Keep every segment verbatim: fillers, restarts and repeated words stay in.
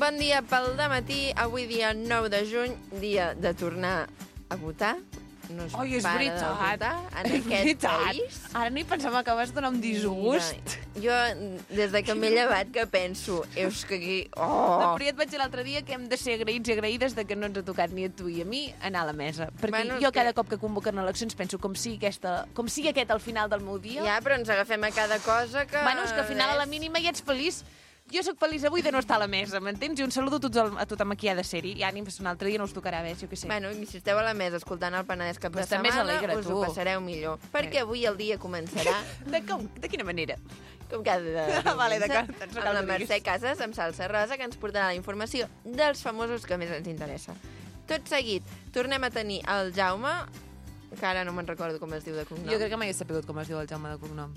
Bon dia pel dematí, avui dia nou de juny, dia de tornar a votar. No es Oi, és para veritat. de votar en És aquest veritat. país. Ara ni pensava que vas donar un disgust. Jo, des de que m'he llevat, que penso, és que aquí... Oh! Però ja et vaig dir l'altre dia que hem de ser agraïts i agraïdes de que no ens ha tocat ni a tu i a mi anar a la mesa. Perquè Bueno, jo és cada que- cop que convoquen eleccions penso com sigui, aquesta, com sigui aquest al final del meu dia. Ja, però ens agafem a cada cosa que... Bueno, és que al final a la mínima ja ets feliç. Jo sóc feliç avui de no estar a la mesa, m'entens? I un saludo a, tots el, a tothom aquí ha de ser-hi. I ànims, un altre dia no us tocarà, ves, jo què sé. Bueno, i si esteu a la mesa escoltant el Penedès cap Pues de també setmana, s'alegra, us tu. ho passareu millor. Perquè avui el dia començarà, De, com? De quina manera? com cada diumenge, Vale, d'acord, doncs no amb cal la que diguis. Mercè Casas, amb Salsa Rosa, que ens portarà la informació dels famosos que més ens interessa. Tot seguit, tornem a tenir el Jaume, que ara no me'n recordo com es diu de cognom. Jo crec que mai he sabut com es diu el Jaume de cognom.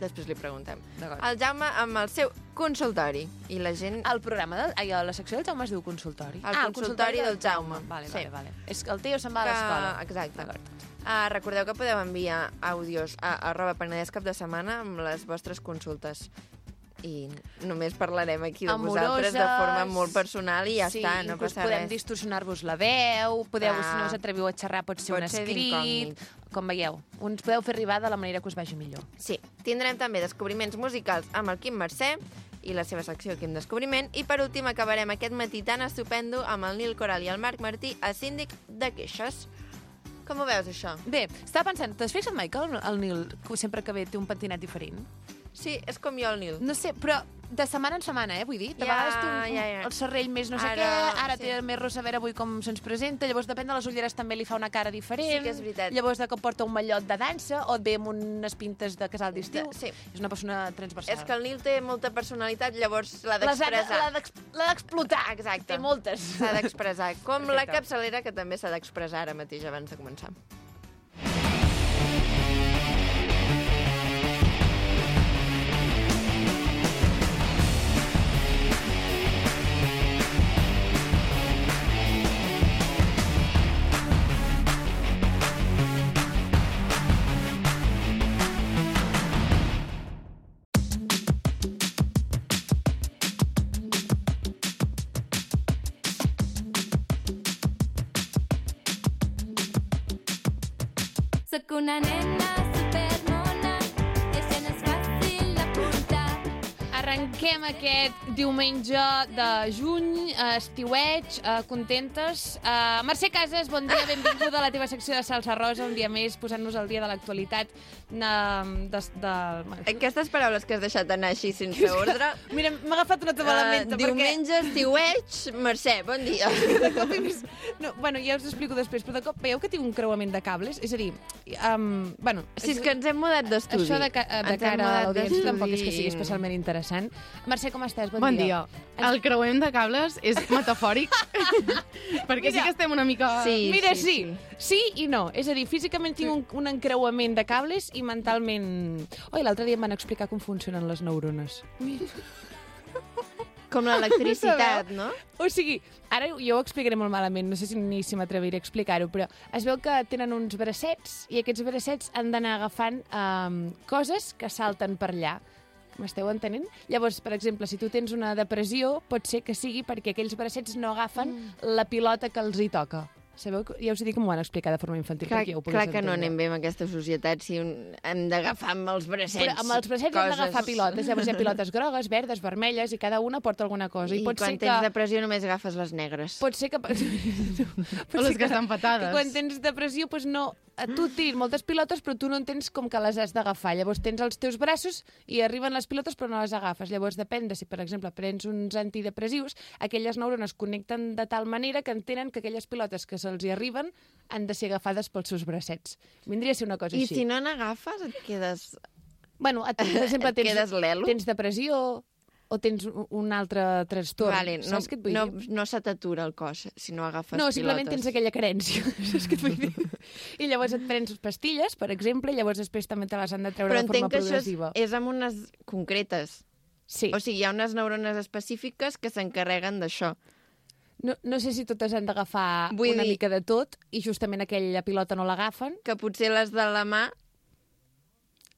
Després li preguntem. D'acord. El Jaume amb el seu consultori. I la gent... El programa, de, ai, a la secció del Jaume es diu consultori. El consultori del Jaume. Vale, Sí. vale, vale. És que el tio se'n va a l'escola. Exacte. D'acord. Uh, recordeu que podeu enviar àudios a arroba Penedès cap de setmana amb les vostres consultes. I només parlarem aquí de Amoroses, vosaltres de forma molt personal i ja sí, està, no inclús passa podem res. distorsionar-vos la veu, podeu, Clar. si no us atreviu a xerrar, pot ser Pot un ser escrit, d'incògnit. com veieu. Uns podeu fer arribar de la manera que us vagi millor. Sí, tindrem també descobriments musicals amb el Quim Mercè i la seva secció Quim Descobriment. I per últim acabarem aquest matí tan estupendo amb el Nil Coral i el Marc Martí a Síndic de Queixes. Com ho veus, això? Bé, estava pensant, t'has fixat mai que el, el Nil, que sempre que ve, té un pentinat diferent? Sí, és com jo, el Nil. No sé, però de setmana en setmana, eh, vull dir. De Ja, vegades té un, un, ja, ja. el serrell més no sé Ara, què, ara sí. té més rosa, a veure avui com se'ns presenta, llavors depèn de les ulleres també li fa una cara diferent. Sí que és veritat. Llavors de cop porta un mallot de dansa o et ve amb unes pintes de casal d'estiu. De- sí. És una persona transversal. És que el Nil té molta personalitat, llavors l'ha Les ha de- d'expressar. l'ha d'ex- l'ha d'explotar. Exacte. Té moltes. S'ha d'expressar. Com la Perfecte. capçalera, que també s'ha d'expressar ara mateix abans de començar. Soc una nena supermona, és gens fàcil d'apuntar. Arrenquem aquest diumenge de juny, eh, estiueig, eh, contentes. Eh, Mercè Casas, bon dia, benvinguda a la teva secció de Salsa Rosa, un dia més posant-nos al dia de l'actualitat. De, de, de... Aquestes paraules que has deixat anar així sense ordre... Mira, m'ha agafat una toba a la Uh, ment. diumenge, estiueig, Mercè, bon dia. De cop he vist... No, bueno, ja us ho explico després, però de cop veieu que tinc un creuament de cables? És a dir, um, bueno... Si és que ens hem mudat d'estudi. Això de, ca de Ens hem cara a mudat l'audiència d'estudi tampoc és que sigui i- especialment interessant. Mercè, com estàs? Bon, Bon dia. El creuem de cables és metafòric, perquè sí Mira. que estem una mica... Sí, Mira, sí, sí, sí, sí i no. És a dir, físicament tinc un, un encreuament de cables i mentalment... Oi, l'altre dia em van explicar com funcionen les neurones. Com l'electricitat, no? O sigui, ara jo ho explicaré molt malament, no sé si ni si m'atreviré a explicar-ho, però es veu que tenen uns bracets i aquests bracets han d'anar agafant um, coses que salten per allà. M'esteu entenent? Llavors, per exemple, si tu tens una depressió, pot ser que sigui perquè aquells bracets no agafen mm. la pilota que els hi toca. Sabeu? que- Ja us he dit que m'ho van explicar de forma infantil Clar, perquè ja ho clar pogués que no entendre. anem bé amb aquesta societat si un... hem d'agafar amb els bracets. Però amb els bracets hem d'agafar pilotes. Llavors hi ha pilotes grogues, verdes, vermelles, i cada una porta alguna cosa. I, I pot quan ser tens que... depressió només agafes les negres. Pot ser que... pot O les ser que estan petades. Que quan tens depressió, doncs no... Tu et tirin moltes pilotes, però tu no entens com que les has d'agafar. Llavors tens els teus braços i arriben les pilotes, però no les agafes. Llavors depèn de si, per exemple, prens uns antidepressius, aquelles neurones connecten de tal manera que entenen que aquelles pilotes que se'ls hi arriben han de ser agafades pels seus bracets. Vindria a ser una cosa I així. si no n'agafes et quedes... Bueno, et, per exemple, Et tens, quedes lelo? tens depressió o tens un- un altre trastorn. Vale, no, Saps què et vull no, dir? no se t'atura el cos si no agafes No, pilotes. simplement tens aquella carència. Saps què et vull dir? I llavors et prens pastilles, per exemple, i llavors després també te les han de treure Però de forma entenc que això és, progressiva. és amb unes concretes. Sí. O sigui, hi ha unes neurones específiques que s'encarreguen d'això. No, no sé si totes han d'agafar Vull una dir- mica de tot i justament aquella pilota no l'agafen. Que potser les de la mà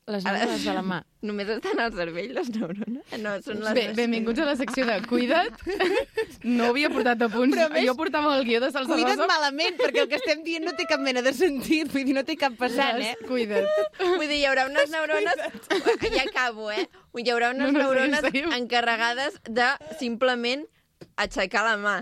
Les neurones de la mà. Només estan al cervell, les neurones? No, són les... Bé, benvinguts a la secció de Cuida't. No havia portat apunts. Però a més, jo portava el guió de Salsa Cuida't Rosa. malament, perquè el que estem dient no té cap mena de sentit. Vull dir, no té cap passant, eh? Cuida't. Vull dir, hi haurà unes neurones... Ja acabo, eh? Hi haurà unes No, no, neurones seguim, seguim. encarregades de simplement aixecar la mà.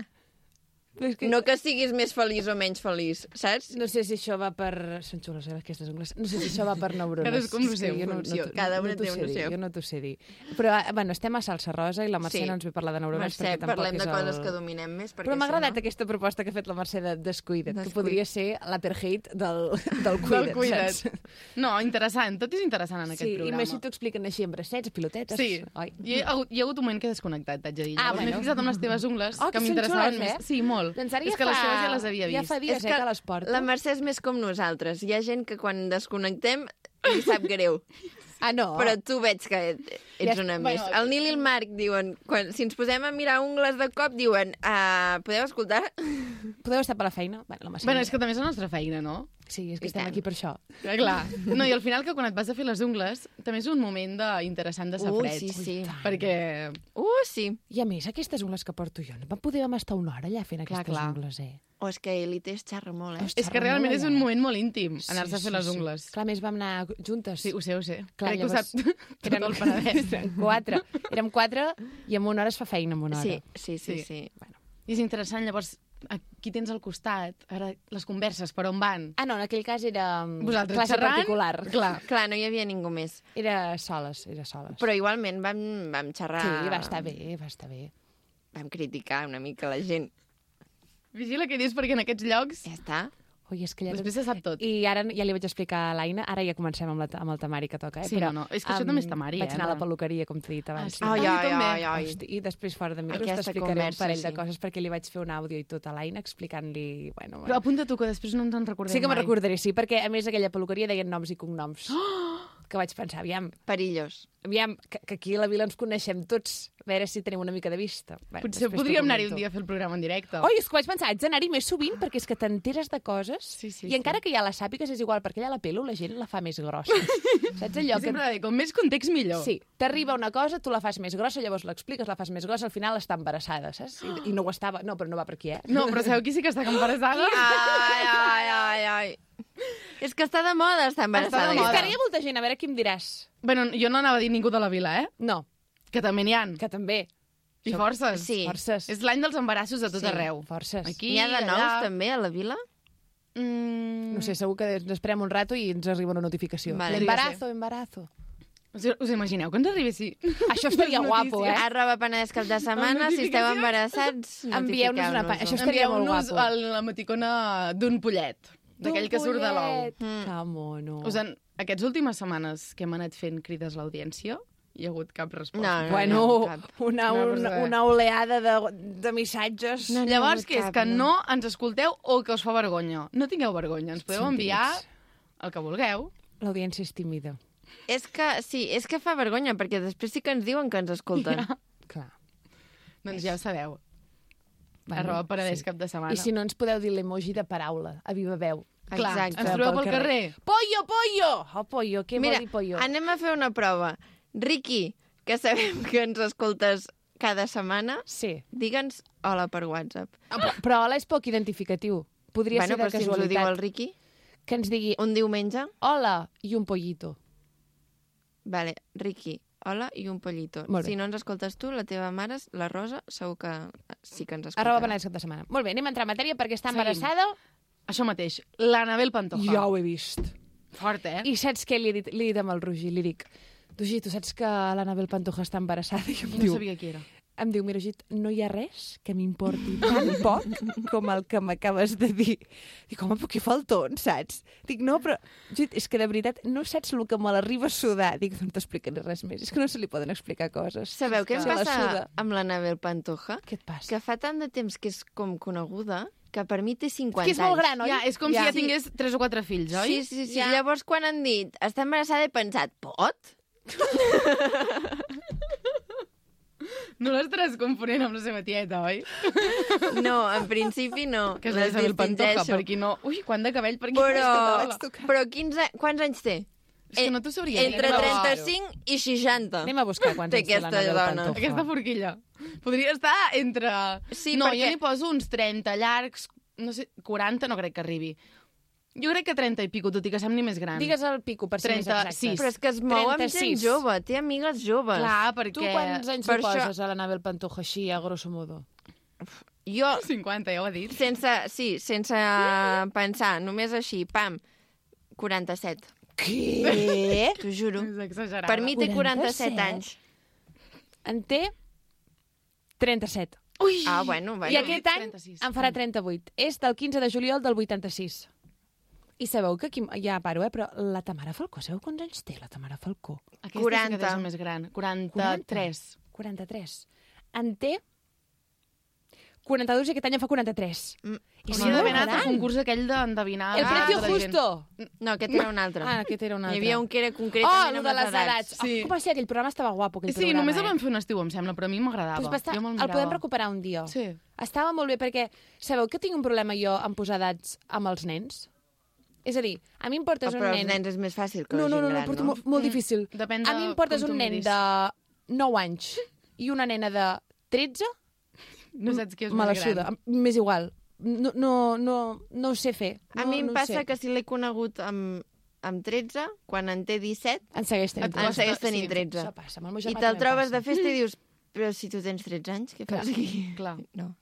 És que... No que siguis més feliç o menys feliç, saps? No sé si això va per... Són xules, eh, aquestes ungles. No sé si això va per neurones. Cadascú amb la És que seva jo no- funció. no t'ho- Cada una no t'ho té sé una dir, seva. Jo no t'ho sé dir. Però, eh, bueno, estem a Salsa Rosa i la Mercè Sí. no ens ve parlar de neurones Mercè, perquè tampoc parlem és de el... coses que dominem més. perquè Però m'ha si agradat no- aquesta proposta que ha fet la Mercè de Descuida't, que Descuida't. podria ser l'apartheid del, del Del Cuida't, Cuida't. saps? No, interessant. Tot és interessant en aquest Sí, i programa. més si t'ho expliquen així amb bracets, pilotetes... Sí, Oi? hi ha, hi ha hagut un moment que he desconnectat, t'haig de dir. Ah, Llavors m'he bueno. fixat amb les teves ungles, Oh, que que són m'interessaven xules, eh? més. Sí, molt. Doncs ara és ja que les fa- teves ja les havia ja vist. fa dies, És eh, que les porto. la Mercè és més com nosaltres. Hi ha gent que quan desconnectem li sap greu. Ah, no? Però tu veig que ets Ja- una bueno, més. El Nil i el Marc diuen, quan, si ens posem a mirar ungles de cop, diuen, uh, podeu escoltar? Podeu estar per la feina? Bueno, la Mercè... Bueno, és que també és la nostra feina, no? Sí, és que I estem tant. aquí per això. Ja, clar. No, i al final que quan et vas a fer les ungles també és un moment de, interessant de Ui, safreig. sí, sí. Perquè... Uh, sí. I a més, aquestes ungles que porto jo, no vam poder vam estar una hora allà fent Clar, aquestes clar. ungles, eh? O és que Elite es xarra molt, eh? Hosti, És que realment és un allà. moment molt íntim, anar-se a fer les ungles. Clar, a més vam anar juntes. Sí, ho sé, ho sé. Clar, Crec que ho llavors, sap tot el Penedès. Eren quatre. Érem quatre i en una hora es fa feina, en una hora. Sí, sí, sí, Sí. sí. Bueno. I és interessant, llavors, aquí tens al costat, ara les converses, per on van? Ah, no, en aquell cas era mm, Vosaltres classe xerrant? particular. Clar. Clar, no hi havia ningú més. Era soles, era soles. Però igualment vam, vam xerrar... Sí, va estar bé, va estar bé. Vam criticar una mica la gent. Vigila què dius, perquè en aquests llocs Ja està. Ui, és que ja... després se sap tot. I ara ja li vaig explicar a l'Aina, ara ja comencem amb, la, amb el temari que toca, eh? Sí, Però, no, no, és que això em, també és temari, Vaig eh, anar a la no? peluqueria, com t'he dit abans. sí. Ai, Ah, ai, jo també. ai, ai. Hosti, I després fora de micros Aquesta t'explicaré un conversa, parell de sí. coses perquè li vaig fer un àudio i tot a l'Aina explicant-li... Bueno, Però bueno. apunta tu, que després no ens en recordem Sí que me'n mai. recordaré, sí, perquè a més aquella peluqueria deien noms i cognoms. Que vaig pensar, aviam, Perillós. aviam, que, que aquí a la vila ens coneixem tots, a veure si tenim una mica de vista. Bueno, Potser després t'ho podríem anar-hi un comento. dia a fer el programa en directe. Oi, és que vaig pensar, haig d'anar-hi més sovint perquè és que t'enteres de coses Sí, sí, i sí. encara que ja la sàpigues és igual, perquè allà la pelo la gent la fa més grossa. Saps allò Jo que... sempre dic, com més context millor. Sí, t'arriba una cosa, tu la fas més grossa, llavors l'expliques, la fas més grossa, al final està embarassada, saps? I, i no ho estava... No, però no va per aquí, eh? No, però sabeu qui sí que està embarassada? Ai, ai, ai, ai. És que està de moda estar embarassada. Està de És moda. que ara hi ha molta gent, a veure qui em diràs. Bueno, jo no anava a dir ningú de la vila, eh? No, Que també n'hi ha. que també. I forces. Sí. Forces. És l'any dels embarassos a tot Sí. arreu. Forces. Aquí, N'hi ha de nous, allà... també, a la vila? Mm... No sé, segur que ens esperem un rato i ens arriba una notificació. Vale. Embarazo, embarazo. Us, us imagineu que ens arribessi... Això estaria Les guapo, eh? Arroba Penedès cap de setmana, si esteu notificacions. embarassats, Envieu-nos una pa- notifiqueu-nos-ho. això estaria molt Envieu-nos guapo. el- la emoticona d'un pollet, d'aquell que surt de l'ou. Mm. Que mono. Us en... Aquestes últimes setmanes que hem anat fent crides a l'audiència, hi ha hagut cap resposta. No, no, Bueno, no, cap. una, No, una, però- una oleada de, de missatges. No, no. Llavors, què és? cap, Que no. no ens escolteu o que us fa vergonya? No tingueu vergonya, ens podeu Som enviar tímids. el que vulgueu. L'audiència és tímida. És que, sí, és que fa vergonya, perquè després sí que ens diuen que ens escolten. Ja. Clar. Doncs ja ho sabeu. Bueno, Arroba Penedès sí. cap de setmana. I si no ens podeu dir l'emoji de paraula, a viva veu. Clar, Exacte. ens trobeu pel carrer. Pollo, pollo! Oh, pollo, què Mira, vol dir pollo? anem a fer una prova. Riqui, que sabem que ens escoltes cada setmana, Sí. digue'ns hola per WhatsApp. Ah, però, però hola és poc identificatiu. Podria bueno, ser de però si ens ho diu casualitat. el Riqui, Que ens digui un diumenge, hola i un pollito. vale, Riqui, hola i un pollito. Molt bé. Si no ens escoltes tu, la teva mare, la Rosa, segur que sí que ens escolta. Arroba Penedès cap de setmana. Molt bé, anem a entrar en matèria perquè està Seguim. embarassada. Això mateix, l'Anabel Pantoja. Ja ho he vist. Fort, eh? I saps què li he dit, li he dit amb el Roger? Li dic, Roger, tu saps que l'Anabel Pantoja està embarassada? I em No diu, sabia qui era. em diu, mira, Git, no hi ha res que m'importi tan poc com el que m'acabes de dir. Dic, home, però què falton, saps? Dic, no, però, Git, és que de veritat no saps el que me l'arriba a sudar. Dic, no t'explicaré res més. És que no se li poden explicar coses. Sabeu què em Se la passa suda. amb l'Anabel Pantoja? Què et passa? Que fa tant de temps que és com coneguda que per mi té cinquanta És que és molt anys. gran, oi? Ja, és com Ja. si ja tingués tres o quatre fills, oi? Sí, sí, sí. Ja. Llavors, quan han dit està embarassada, he pensat, pot? No l'estaràs confonent amb la seva tieta, oi? No, en principi no. Que és Les l'Isabel Pantoja, distingeixo. per qui no... Ui, quant de cabell, per qui Però, no... però quinze, quants anys té? És que no t'ho sabria dir. Entre Anem a buscar-ho. trenta-cinc i seixanta. Anem a buscar quants Té anys té aquesta l'Anabel dona. Pantoja. Aquesta forquilla. Podria estar entre... Sí, no, perquè- jo n'hi poso uns trenta llargs, no sé, quaranta no crec que arribi. Jo crec que trenta i pico, tot i que sembli més gran. Digues el pico, per ser més exactes. trenta-sis. Però és que es mou amb gent trenta-sis. jove, té amigues joves. Clar, perquè... Tu quants anys Per li això- poses a l'Anabel Pantoja així, a grosso modo? Jo, cinquanta, ja ho ha dit. sense, sí, sense pensar, només així, pam, quaranta-set. Què? T'ho juro. És exagerada. Per mi té quaranta-set? quaranta-set anys. En té trenta-set. Ui! Ah, bueno, bueno. I aquest any trenta-sis. en farà trenta-vuit. És del quinze de juliol del vuitanta-sis. I sabeu que aquí... Ja paro, eh? Però la Tamara Falcó, sabeu quants anys té la Tamara Falcó? Aquesta quaranta. sí que és el més gran. quaranta-tres. quaranta-tres. En té quaranta-dos i aquest any en fa quaranta-tres. Mm, I I si si no d'haver gran. anat al concurs aquell d'endevinar... El Ah, precio de la gent. justo. No, aquest era un altre. Ah, aquest era un altre. Hi havia un que era Oh, concretament el amb de les edats. Sí. Oh, com va ser? Aquell programa estava guapo, aquell Sí, programa. només el eh? vam fer un estiu, em sembla, però a mi m'agradava. Pues va estar, Jo me'l el mirava. podem recuperar un dia. Sí. Estava molt bé perquè sabeu que tinc un problema jo en posar edats amb els nens? És a dir, a mi em portes Ah, un però nen... els nens és més fàcil que no, la no, gent no, no, gran, porto no? molt, molt difícil. Depèn A de mi em portes com tu un nen miris. de nou anys i una nena de tretze, No saps qui és me la més gran. suda. M'és igual. No, no, no, no ho sé fer. No, A mi em no ho passa sé. que si l'he conegut amb, amb tretze, quan en té disset, En segueix tenint Et en costa, segueix tenint sí. tretze. Això passa. Amb el meu I germà te'l també em trobes passa. de festa i dius, però si tu tens tretze anys, què Clar, fas aquí? clar. No.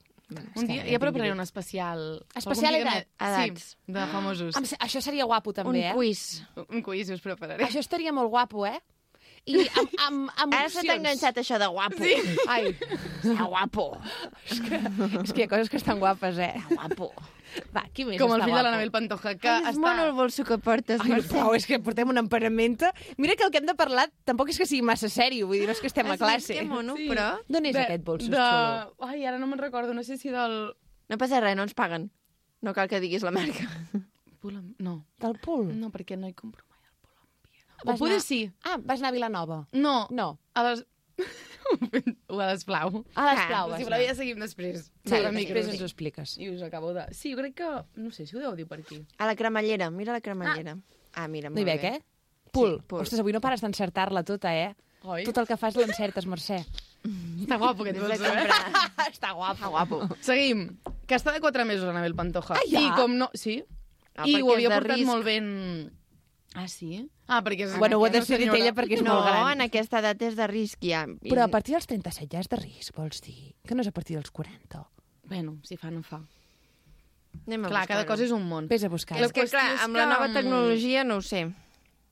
Un dia ja prepararé un especial... Especial algun dia edat? que- Edats. Sí, de famosos. Em se- Això seria guapo, també, Un eh? quiz. Un quiz us prepararé. Això estaria molt guapo, eh? I amb, amb, amb Ara se t'ha opcions. enganxat això de guapo. Sí. Ai, Està guapo. és que, és que hi ha coses que estan guapes, eh? Guapo. Va, qui més Com el està fill de guapo? l'Anabel Pantoja, que Ai, és està... molt el bolso que portes, Ai, no, Mercè. prou, és que portem una emparamenta. Mira que el que hem de parlar tampoc és que sigui massa sèrio, vull dir, no és que estem a classe. Que mono, Sí. però... D'on és de- aquest bolso de... xulo? Ai, ara no me'n recordo, no sé si del... No passa res, no ens paguen. No cal que diguis la marca. Pulam... No, Del Pul? no, perquè no hi compro mai el Pull&Bear. O Vas poder anar- sí. Ah, vas anar a Vilanova. No, No. a les... o a l'Esplau. A les Ah, Plau Si vas voleu anar. ja seguim després. Sí, Sobre després micros. ens ho expliques. I us acabo de... Sí, jo crec que... No sé si ho deu dir per aquí. A la cremallera, mira la cremallera. Ah, mira, No molt hi veig, bé. eh? Pul. Sí, Pul. Ostres, avui no pares d'encertar-la tota, eh? Oi? Tot el que fas l'encertes, Mercè. Està guapo aquest Des de bolso, eh? comprar. Està guapo. Ah, guapo. Seguim. Que està de quatre mesos, Anabel Pantoja. Ah, ja? I com no... Sí. Ah, I perquè ho és havia de portat risc. molt ben... Ah, sí? Ah, perquè és... Bueno, ho ha una decidit senyora. ella perquè és No, molt gran. en aquesta edat és de risc ja. I- Però a partir dels trenta-set ja és de risc, vols dir? Que no és a partir dels quaranta. Bueno, si fa, no fa. Anem a Clar, cada buscar-ho. cosa és un món. Vés a buscar. És que, clar, qüestió és amb la que, nova mm, tecnologia no ho sé.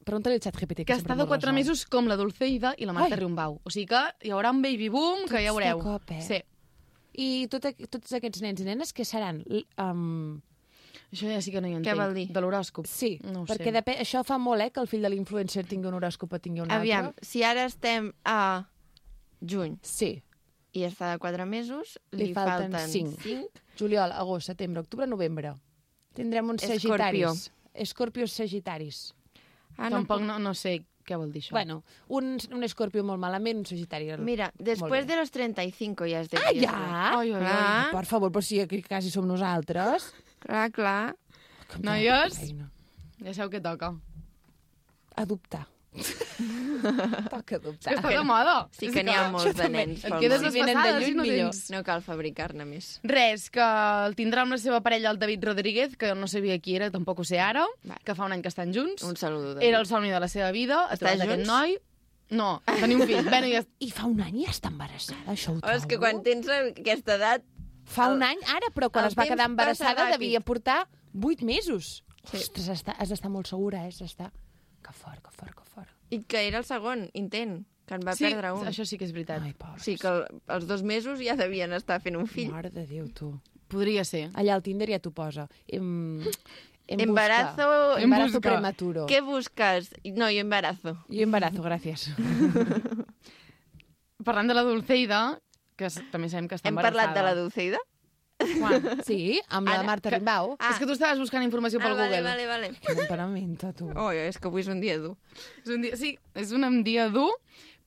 Pregunta-li al xat G P T. Que està de quatre mesos com la Dulceida i la Marta Ai. Riumbau. O sigui que hi haurà un baby boom que ja Tots veureu. de cop, eh? Sí. I tot, aqu- tots aquests nens i nenes, què seran? L- Um, Això ja sí que no hi Què entenc. vol dir? De l'horòscop. sí, No ho perquè sé. depèn, això fa molt, eh, que el fill de l'influencer tingui un horòscop o tingui un Aviam, altre. si ara estem a juny Sí. i està de quatre mesos, li, Li falten falten cinc. cinc. Juliol, agost, setembre, octubre, novembre. Tindrem uns sagitaris. Escorpios sagitaris. Ah, Tampoc puc- no, no sé què vol dir això. Bueno, un, un escorpio molt malament, un sagitari... Mira, Molt después bé. de los treinta y cinco ja es de Ah, riesgo. ja? Ai, ai, ai. Clar, Per favor, però si aquí quasi som nosaltres. clar, clar. Que Noies? feina. Ja sabeu què toca. Adoptar. Toca adoptar. Que està de moda. Sí que n'hi ha molts de també. nens. Et pel quedes món. Si venen de desfasada lluny, si no millor. tens... No cal fabricar-ne més. Res, que el tindrà amb la seva parella, el David Rodríguez, que no sabia qui era, tampoc ho sé ara, Va. que fa un any que estan junts. Un saludo. Era el somni de la seva vida, ha Està trobat aquest junts? noi. No, tenir un fill. Bueno, ja... I fa un any ja està embarassada, això ho Oh, és que trobo. quan tens aquesta edat... Fa un any, ara, però quan el es va temps quedar passa embarassada ràpid. devia portar vuit mesos. Sí. Ostres, està, has d'estar molt segura, eh? Has d'estar... Que fort, que fort, que fort. I que era el segon intent, que en va sí, perdre un. això sí que és veritat. Ai, pobres. O sigui que el, els dos mesos ja devien estar fent un fill. Mare de Déu, tu. Podria ser. Allà al Tinder ja t'ho posa. Em... em Embarazo... busca. Em Embarazo busca. prematuro. ¿Qué buscas? No, yo embarazo. Jo embarazo, gràcies. Parlant de la Dulceida, que s- també sabem que està Hem embarassada. parlat de la Dulceida? Quan? Sí, amb la Ara, Marta que- Rimbau. Ah. És que tu estaves buscant informació pel ah, vale, Google. vale, vale. Que temperamenta, tu. Oh, és que avui és un dia dur. És un dia, sí, és un dia dur,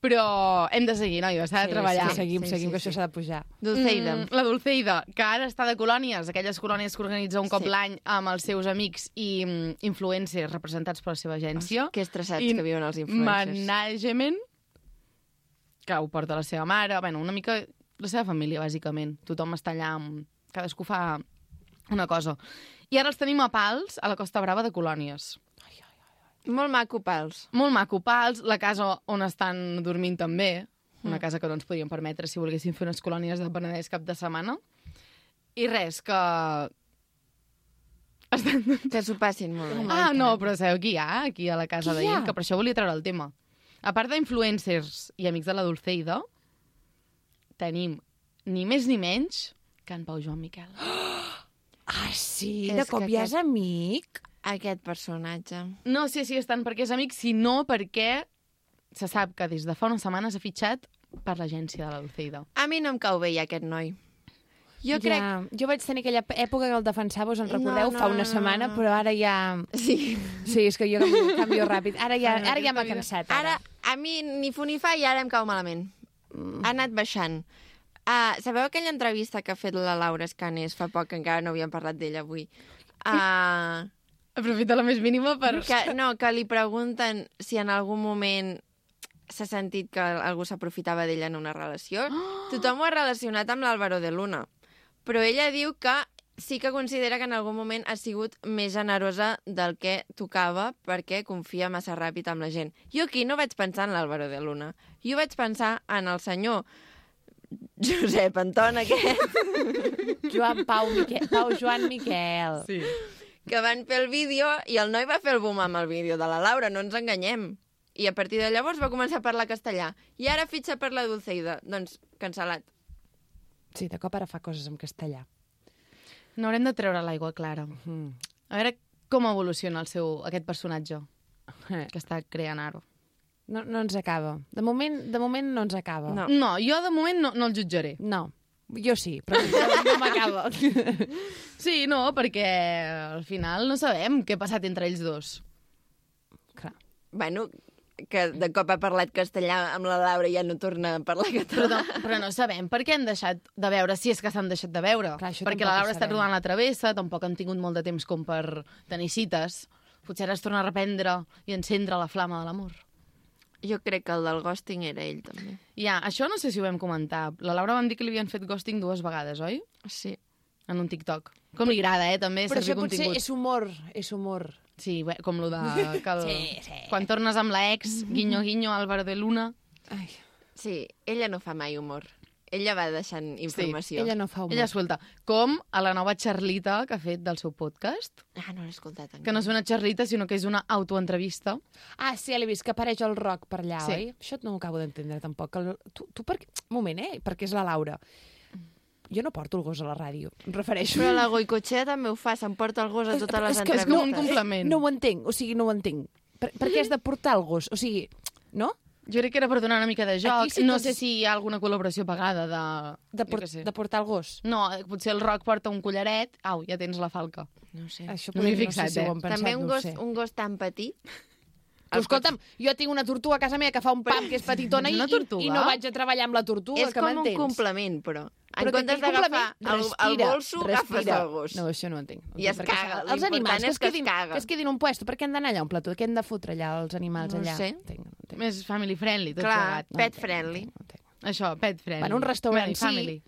Però hem de seguir, noia, s'ha de Sí, treballar. sí, seguim, Sí, seguim, sí, que això sí. s'ha de pujar. Dulceida. Mm, la Dulceida, que ara està de colònies, aquelles colònies que organitza un cop Sí. l'any amb els seus amics i mm, influencers representats per la seva agència. Que estressats I que viuen els influencers. Management, que ho porta la seva mare, bueno, una mica la seva família, bàsicament. Tothom està allà, amb... cadascú fa una cosa. I ara els tenim a Pals, a la Costa Brava de Colònies. Molt maco, Pals. Molt maco, Pals, la casa on estan dormint també, una casa que no ens podíem permetre si volguéssim fer unes colònies de Penedès cap de setmana. I res, que... Estan... Que s'ho passin molt bé. Ah, no, però sabeu qui hi ha aquí a la casa Qui hi ha? d'ell? Que per això volia treure el tema. A part d'influencers i amics de la Dulceida, tenim ni més ni menys que en Pau Joan Miquel. Ah, sí? És De cop que ja és aquest- amic? Aquest personatge. No sé si és tant perquè és amic, sinó perquè se sap que des de fa unes setmanes ha fitxat per l'agència de la Dulceida. A mi no em cau bé ja aquest noi. Jo crec... Ja, jo vaig tenir aquella època que el defensava, us en recordeu, No, no, fa una no, setmana, no. però ara ja... Sí. Sí, és que jo canvio, canvio ràpid. Ara ja, Ara, ara ja m'ha aquesta vida. cansat. Ara, a mi ni fu ni fa i ara em cau malament. Ha anat baixant. Uh, sabeu aquella entrevista que ha fet la Laura Escanes fa poc, que encara no havíem parlat d'ella avui? Uh, Aprofita la més mínima per... que, no, que li pregunten si en algun moment s'ha sentit que algú s'aprofitava d'ella en una relació. Tothom ho ha relacionat amb l'Álvaro de Luna. Però ella diu que sí que considera que en algun moment ha sigut més generosa del que tocava perquè confia massa ràpid amb la gent. Jo aquí no vaig pensar en l'Álvaro de Luna. Jo vaig pensar en el senyor Josep Anton aquest, Joan Pau, Miquel, Pau Joan Miquel. Sí. que van fer el vídeo i el noi va fer el boom amb el vídeo de la Laura, no ens enganyem. I a partir de llavors va començar a parlar castellà. I ara fitxa per la Dulceida. Doncs, cancel·lat. Sí, de cop ara fa coses en castellà. No haurem de treure l'aigua clara. Mm. A veure com evoluciona el seu, aquest personatge Eh, que està creant ara. No, no ens acaba. De moment, de moment no ens acaba. No. No, jo de moment no, no el jutjaré. No. Jo sí, però no, no m'acaba. Sí, no, perquè al final no sabem què ha passat entre ells dos. Clar. Bueno, que de cop ha parlat castellà amb la Laura i ja no torna a parlar Però català. no, però no sabem per què han deixat de veure, si és que s'han deixat de veure. Clar, això perquè tampoc la ho Laura ha estat sabem. rodant la travessa, tampoc han tingut molt de temps com per tenir cites. Potser ara es torna a reprendre i encendre la flama de l'amor. Jo crec que el del ghosting era ell, també. Ja, això no sé si ho vam comentar. La Laura vam dir que li havien fet ghosting dues vegades, oi? Sí. En un TikTok. Com li agrada, eh, també, Però servir això potser contingut. és humor, és humor. Sí, bé, com lo de... Que el... Sí, sí. Quan tornes amb l'ex, guinyo, guinyo, Álvaro de Luna... Ai, Sí, ella no fa mai humor. Ella va deixant informació. ella no fa humor. Ella suelta. Com a la nova Charlita que ha fet del seu podcast, Ah, no l'he escoltat encara. que no és una Charlita, sinó que és una autoentrevista. Ah, sí, ja l'he vist, que apareix el rock per allà, Sí. oi? Això no ho acabo d'entendre, tampoc. El, tu, tu per... Un moment, eh? Perquè és la Laura. Jo no porto el gos a la ràdio, em refereixo. Però la Goicoechea també ho fa, s'emporta el gos a totes les és que és entrevistes. com un complement. No ho entenc, o sigui, no ho entenc. Per, per què has de portar el gos? O sigui, no? Jo crec que era per donar una mica de joc. Aquí sí no tots- sé si hi ha alguna col·laboració pagada de... De, jo por què sé. de portar el gos. No, potser el Roc porta un collaret. Au, ja tens la falca. No sé. Això No m'hi he potser fixat, no sé si eh? ho han pensat, També un no ho gos, sé. un gos tan petit. Però escolta'm, jo tinc una tortuga a casa meva que fa un pam que és petitona i, Una i, tortuga? i no vaig a treballar amb la tortuga, És que com un m'entens? complement, però. En Però que comptes aquell d'agafar complement el, el respira, bolso, agafes respira. el gos. No, això no ho entenc. I es Perquè caga. Els L'important animals que és es, que es quedin, caga. que es quedin un puesto, per què han d'anar allà a un plató? Què han de fotre allà els animals No ho allà? sé. No entenc, no entenc. Més family friendly, tot Clar, plegat. No pet entenc, friendly. No entenc, no entenc. Això, pet friendly. Bueno, un restaurant Friendly sí. family.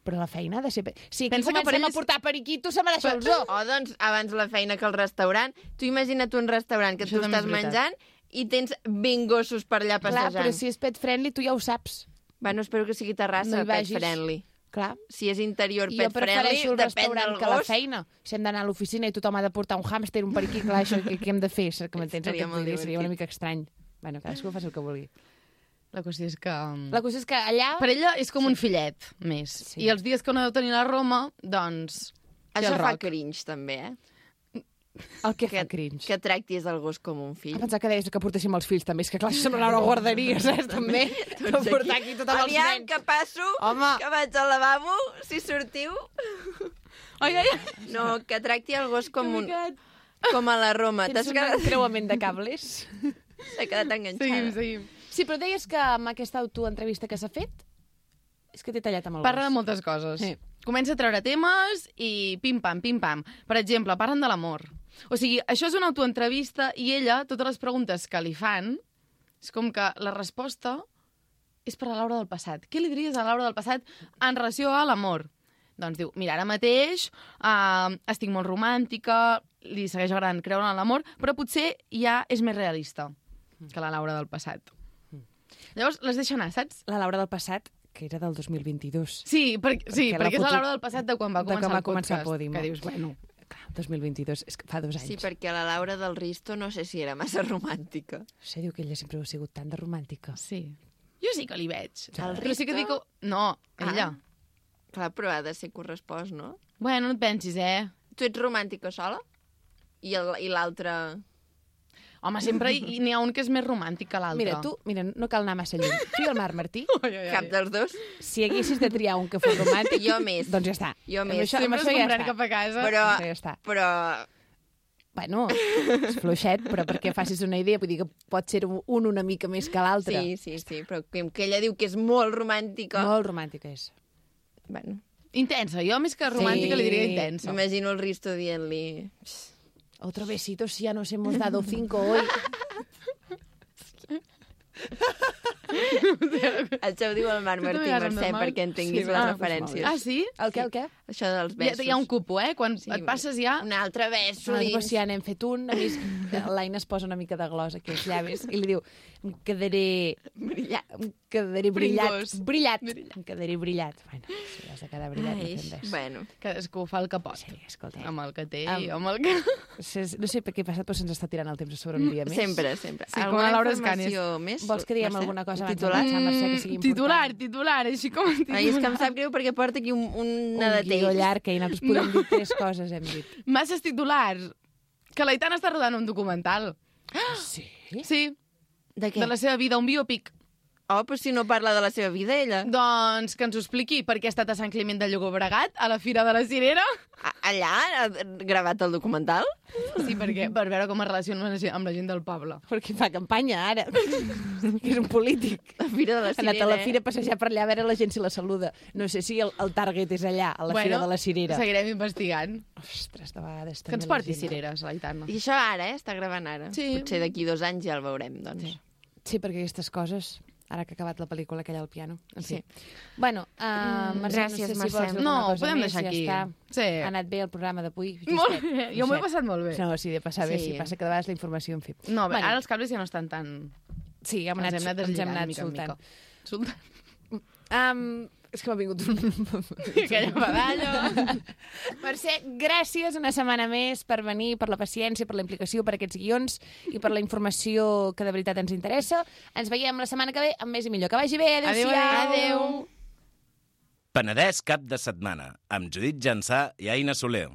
Però la feina ha de ser... pe- Si aquí Pensa que per comencem ells- a portar periquitos, se mereix el zoo. Oh, doncs, abans la feina que el restaurant. Tu imagina't un restaurant que Això tu també és estàs veritat. menjant i tens vint gossos per allà Clar, passejant. però si és pet friendly, tu ja ho saps. Bueno, espero que sigui No terrassa, hi pet vagis. friendly. Clar. Si és interior I jo pet friendly, prefereixo el depèn restaurant del que la gos. feina. Si hem d'anar a l'oficina i tothom ha de portar un hàmster, un periquí, clar, això què, què hem de fer? Que m'entens el que Seria et molt vull dir? Seria una divertit. mica estrany. Bueno, cadascú faci el que vulgui. La qüestió és que... La cosa és que allà... Per ella és com un fillet, més. Sí. I els dies que no deu tenir a Roma, doncs... té Això el fa Roc. cringe, també, eh? El que Que, fa cringe. que tractis el gos com un fill. A pensar que deies que portéssim els fills, també. És que clar, això sembla una guarderia, saps? També. No portar aquí tothom els Aviam, nens. que passo, Home. que vaig al lavabo, si sortiu. Ai, ai, ai. No, que tracti el gos com, un, Complicat. com a la Roma. Tens T'has un quedat, creuament de cables? s'ha quedat enganxada. Seguim, seguim. Sí, però deies que amb aquesta autoentrevista que s'ha fet és que t'he tallat amb el Parla de gos. moltes coses. Sí. Comença a treure temes i pim-pam, pim-pam. Per exemple, parlen de l'amor. O sigui, això és una autoentrevista i ella, totes les preguntes que li fan, és com que la resposta és per a Laura del passat. Què li diries a Laura del passat en relació a l'amor? Doncs diu, mira, ara mateix uh, estic molt romàntica, li segueix agradant creure en l'amor, però potser ja és més realista que la Laura del passat. Llavors, les deixa anar, saps? La Laura del passat, que era del dos mil vint-i-dos. Sí, per, sí Perquè la perquè és foto- la Laura del passat de quan va de començar quan va el començar podcast. Podimo. Que dius, bueno... Clar, dos mil vint-i-dos, és que fa dos anys. Sí, perquè la Laura del Risto no sé si era massa romàntica. No sé, diu que ella sempre ha sigut tan de romàntica. Sí. Jo sí que li veig. El Però sí que Risto? dic... No, ella. Ah. Clar, però ha de ser correspost, no? Bueno, no et pensis, eh? Tu ets romàntica sola? I el- i l'altre... Home, sempre hi n'hi ha un que és més romàntic que l'altre. Mira, tu, mira, no cal anar massa lluny. Tu i el Marc Martí, Ai, ai, ai. Cap dels dos? si haguessis de triar un que fos romàntic... Jo més. Doncs ja està. Jo Amb més. això, amb Sempre això es ja comprant està. cap a casa. Però... Amb això ja està. Però... Bueno, és fluixet, però perquè facis una idea, vull dir que pot ser un una mica més que l'altre. Sí, sí, sí, però com que ella diu que és molt romàntica... Molt romàntica és. Bueno, Intensa. Jo, més que romàntica, Sí. li diria intensa. m'imagino el Risto dient-li... Otro besito si ya nos hemos dado cinco hoy. Això ho diu el Marc Tu també Martí vas amb Mercè normal? perquè entenguis Sí, les ah, referències. Ah, sí? El què, el què? Això dels Hi ha, besos. hi ha un cupo, eh? Quan Sí, et passes ja... Un altre beso Ah, dins. doncs, si ja n'hem fet un, a més, l'Aina es posa una mica de glos aquí als llavis i li diu, em quedaré... Brillant. Em quedaré brillat. Pringós. Brillat. Em quedaré brillat. Bueno, si has de quedar brillat, Ai, no fem res. bueno. Cadascú fa el que pot. Sí, escolta. Amb el que té Am- i amb el que... No sé per què ha passat, però se'ns està tirant el temps a sobre un dia més. Sempre, sempre. Sí, com Alguna la Laura informació més? Vols que diguem Mercè? alguna cosa Un abans de titular? marxar, Mercè, que sigui important? Titular, titular, així com... Titular. Ai, és que em sap greu perquè porta aquí un, un Un de guió text. llarg, que nosaltres podem dir tres coses, hem dit. Masses titulars. Que l'Aitana està rodant un documental. Sí? Sí, De què? de la seva vida, un biòpic. Oh, però si no parla de la seva vida, ella. Doncs que ens ho expliqui per què ha estat a Sant Climent de Llobregat, a la Fira de la Cirera. A- Allà ha gravat el documental? Sí, perquè, per veure com es relaciona amb la gent- amb la gent del poble. Perquè fa campanya, ara. Que és un polític. La Fira de la Ha Cirera. anat a la eh? fira a passejar per allà a veure la gent si la saluda. No sé si el, el target és allà, a la Fira de la Cirera. Seguirem investigant. Ostres, de vegades Que també ens la porti gent- cireres, l'Aitana. I això ara, eh? Està gravant ara. Sí. Potser d'aquí dos anys ja el veurem, doncs. Sí. Sí, perquè aquestes coses, ara que ha acabat la pel·lícula aquella al piano. En fi. Sí. Bueno, uh, Mm, Mercè, gràcies, no sé si Mercè. vols dir No, alguna ho cosa podem més, deixar ja aquí. està. Sí. Ha anat bé el programa d'avui. Molt Justet, bé, jo m'ho he justet. passat molt bé. No, sí, de passar bé, Sí. sí. Passa que de vegades la informació, en fi. No, bé, Bueno. ara els cables ja no estan tan... Sí, hem Ens anat, hem anat ens hem deslligant anat mica en soltant. mica. Soltant. Um, és que m'ha vingut un... Aquella medalla. Mercè, gràcies una setmana més per venir, per la paciència, per la implicació, per aquests guions i per la informació que de veritat ens interessa. Ens veiem la setmana que ve amb més i millor. Que vagi bé, Adéu, adéu-siau. adéu. Penedès cap de setmana, amb Judit Jansà i Aina Soler.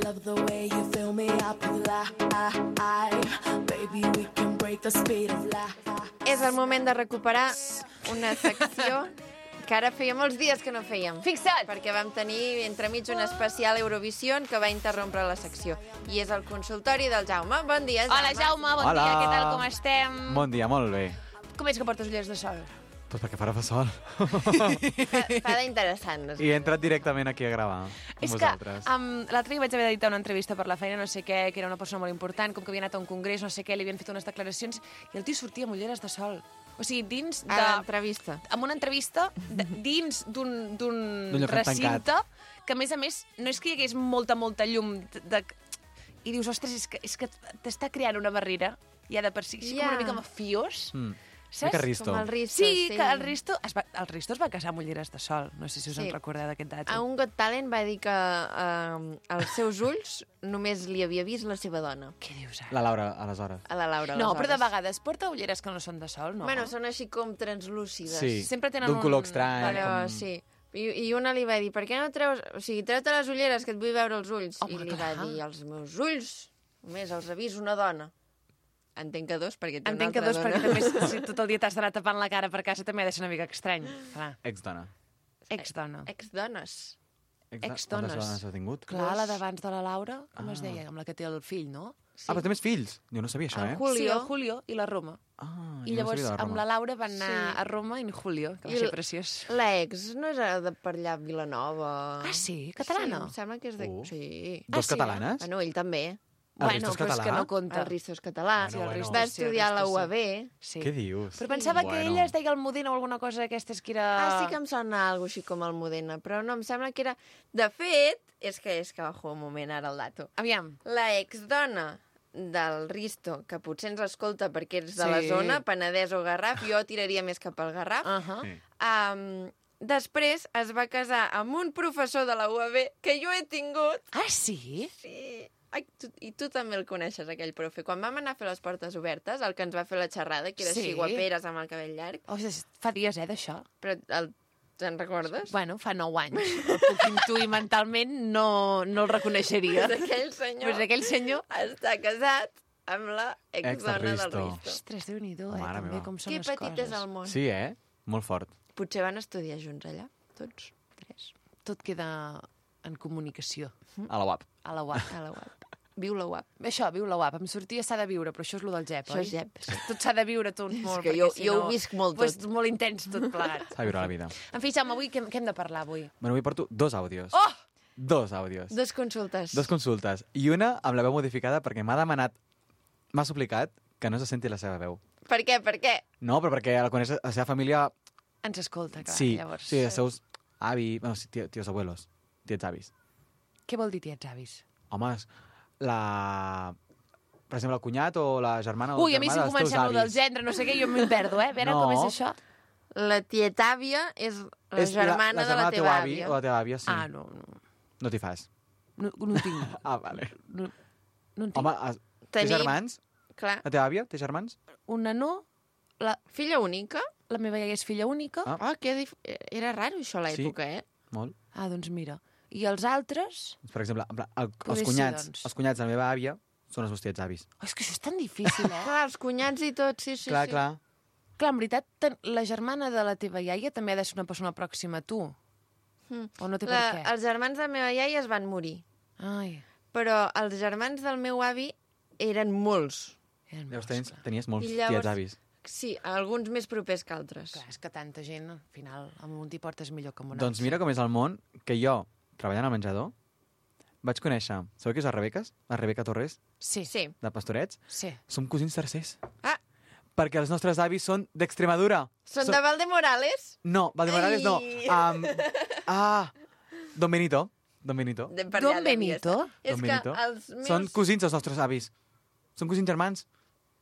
Love the way you fill me up with life. Baby, we can break the speed of light. És el moment de recuperar una secció que ara feia molts dies que no fèiem. Fixa't! Perquè vam tenir entremig un especial Eurovision que va interrompre la secció. I és el consultori del Jaume. Bon dia, Jaume. Hola, Jaume, bon Hola. dia, què tal, com estem? Bon dia, molt bé. Com és que portes ulleres de sol? Pues perquè farà fa sol. Fa, fa d'interessant. No sé. I he entrat directament aquí a gravar amb És que vosaltres. um, l'altre dia vaig haver d'editar una entrevista per la feina, no sé què, que era una persona molt important, com que havia anat a un congrés, no sé què, li havien fet unes declaracions, i el tio sortia amb ulleres de sol. O sigui, dins de... A l'entrevista. amb una entrevista de, dins d'un d'un D'un lloc recinte que, a més a més, no és que hi hagués molta, molta llum de, de... i dius, ostres, és que, és que t'està creant una barrera ja de per si, així Ja. com una mica mafiós. Mm. Saps? Mica Risto. Com el Risto, Sí, sí. que el Risto, es va, el Risto es va casar amb ulleres de sol. No sé si us Sí. en recordeu d'aquest dato. A un Got Talent va dir que eh, als seus ulls només li havia vist la seva dona. Què dius ara? La Laura, aleshores. A la Laura, No, però de aleshores. vegades porta ulleres que no són de sol, no? Bueno, són així com translúcides. Sí, Sempre tenen d'un un- color estrany. Però com... sí. I, I una li va dir, per què no treus... O sigui, treu-te les ulleres, que et vull veure els ulls. Home, I li clar. va dir, els meus ulls, només els ha vist una dona. Entenc que dos, perquè té una Entenc que altra dos, dona. perquè també si tot el dia t'has d'anar tapant la cara per casa també ha de ser una mica estrany. Clar, Ex-dona. ex-dona. Ex-dones. Ex-dones. Quantes dones ha tingut? Clar, la d'abans de la Laura, com es Ah. deia? Amb la que té el fill, no? Ah, però té més fills. Jo no sabia això, El eh? Julio. Sí, el Julio i la Roma. Ah, I jo no llavors sabia de amb Roma. la Laura van anar Sí. a Roma en Julio, que va I ser el- preciós. L'ex no és de per allà a Vilanova. Ah, sí? Catalana? Sí, em sembla que és de... Uh. Sí. Dos Ah, sí, eh? catalanes? Bueno, ell també. El Bueno, Risto és però és que català? no compta. El Risto és català. Bueno, bueno. Va Sí, el estudiar a la Risto U sí. A B. Sí. Què dius? Però pensava que Bueno. ella es deia Almudena o alguna cosa d'aquestes que era... Ah, sí que em sona alguna així com el Modena, però no, em sembla que era... De fet, és que és que bajo un moment ara el dato. Aviam. La exdona del Risto, que potser ens escolta perquè és de la Sí. zona, Penedès o Garraf, jo tiraria més cap al Garraf, Uh -huh. Sí. um, després es va casar amb un professor de la U A B que jo he tingut. Ah, sí? Sí. Ai, tu, I tu també el coneixes, aquell profe. Quan vam anar a fer les portes obertes, el que ens va fer la xerrada, que era Sí. així guaperes amb el cabell llarg, Oh, fa dies, eh, d'això. però el, te'n recordes? Bueno, fa nou anys. El puc intuir mentalment, no, no el reconeixeria. Pues aquell senyor Pues aquell senyor... està casat amb la Ex del exdona del Risto. Risto. Ostres, Déu-n'hi-do, eh, Mare també, meva. com són Que les petit coses. és el món. Sí, eh? Molt fort. Potser van estudiar junts allà, tots tres. Tot queda en comunicació, A la U A P. a la U A P. A la U A P. Viu la U A P. Això, viu la U A P. Em sortia s'ha de viure, però això és lo del Gep, Això oi? és Gep. Tot s'ha de viure tot molt, que perquè jo- si jo no... ho visc molt pues, tot. molt intens tot plegat. S'ha de viure la vida. En fi, Jaume, avui què, què hem de parlar, avui? Bueno, avui porto dos àudios. Oh! Dos àudios. Dos consultes. Dos consultes. I una amb la veu modificada perquè m'ha demanat, m'ha suplicat que no se senti la seva veu. Per què? Per què? No, però perquè la coneix la seva família... Ens escolta, clar, sí, llavors. sí, els seus avi... Bueno, sí, tio, tios abuelos, tiets avis. Què vol dir tiets avis? Home, la... Per exemple, el cunyat o la germana o Ui, el a mi germà si dels teus comencem lo del avis. gendre, no sé què, jo m'hi perdo, eh? A veure No. com és això. La tietàvia és la És germana la, la de la del teu teva avi àvia. o la teva àvia, sí. Ah, no, no, No t'hi fas. no, no en tinc. Ah, vale. No, no en tinc. Home, has... té Tenim- germans? Clar. La teva àvia té germans? Una no, la, Filla única? la meva iaia és filla única. Ah. Oh, que dif... Era raro això a l'època, eh? Molt. Ah, doncs mira. I els altres? Doncs, per exemple, en plan, el, Poder els, ser, cunyats, doncs. els cunyats de la meva àvia són els meus tiets avis. Oh, és que això és tan difícil, eh? Clar, els cunyats i tot, sí, sí. clar, sí. clar. Clar, en veritat, ten- la germana de la teva iaia també ha de ser una persona pròxima a tu. Mm. O no té La, per què? els germans de la meva iaia es van morir, Ai, però els germans del meu avi eren molts. eren Llavors molts, tenies, clar. tenies molts I llavors- tiets avis. Sí, alguns més propers que altres. Clar, és que tanta gent, al final, amb un t'hi portes millor que amb un Doncs altre. mira com és el món que jo, treballant al menjador, vaig conèixer... Sabeu qui és la Rebeques? La Rebeca Torres, Sí, Sí. de Pastorets? sí. Som cosins tercers. Ah, Perquè els nostres avis són d'Extremadura. són Som- de Valdemorales? No, Valdemorales no. Ai. Um, ah, Don Benito. Don Benito. De per Don allà devia Benito? ser. És Don que Benito. els meus, Són cosins els nostres avis. Són cosins germans.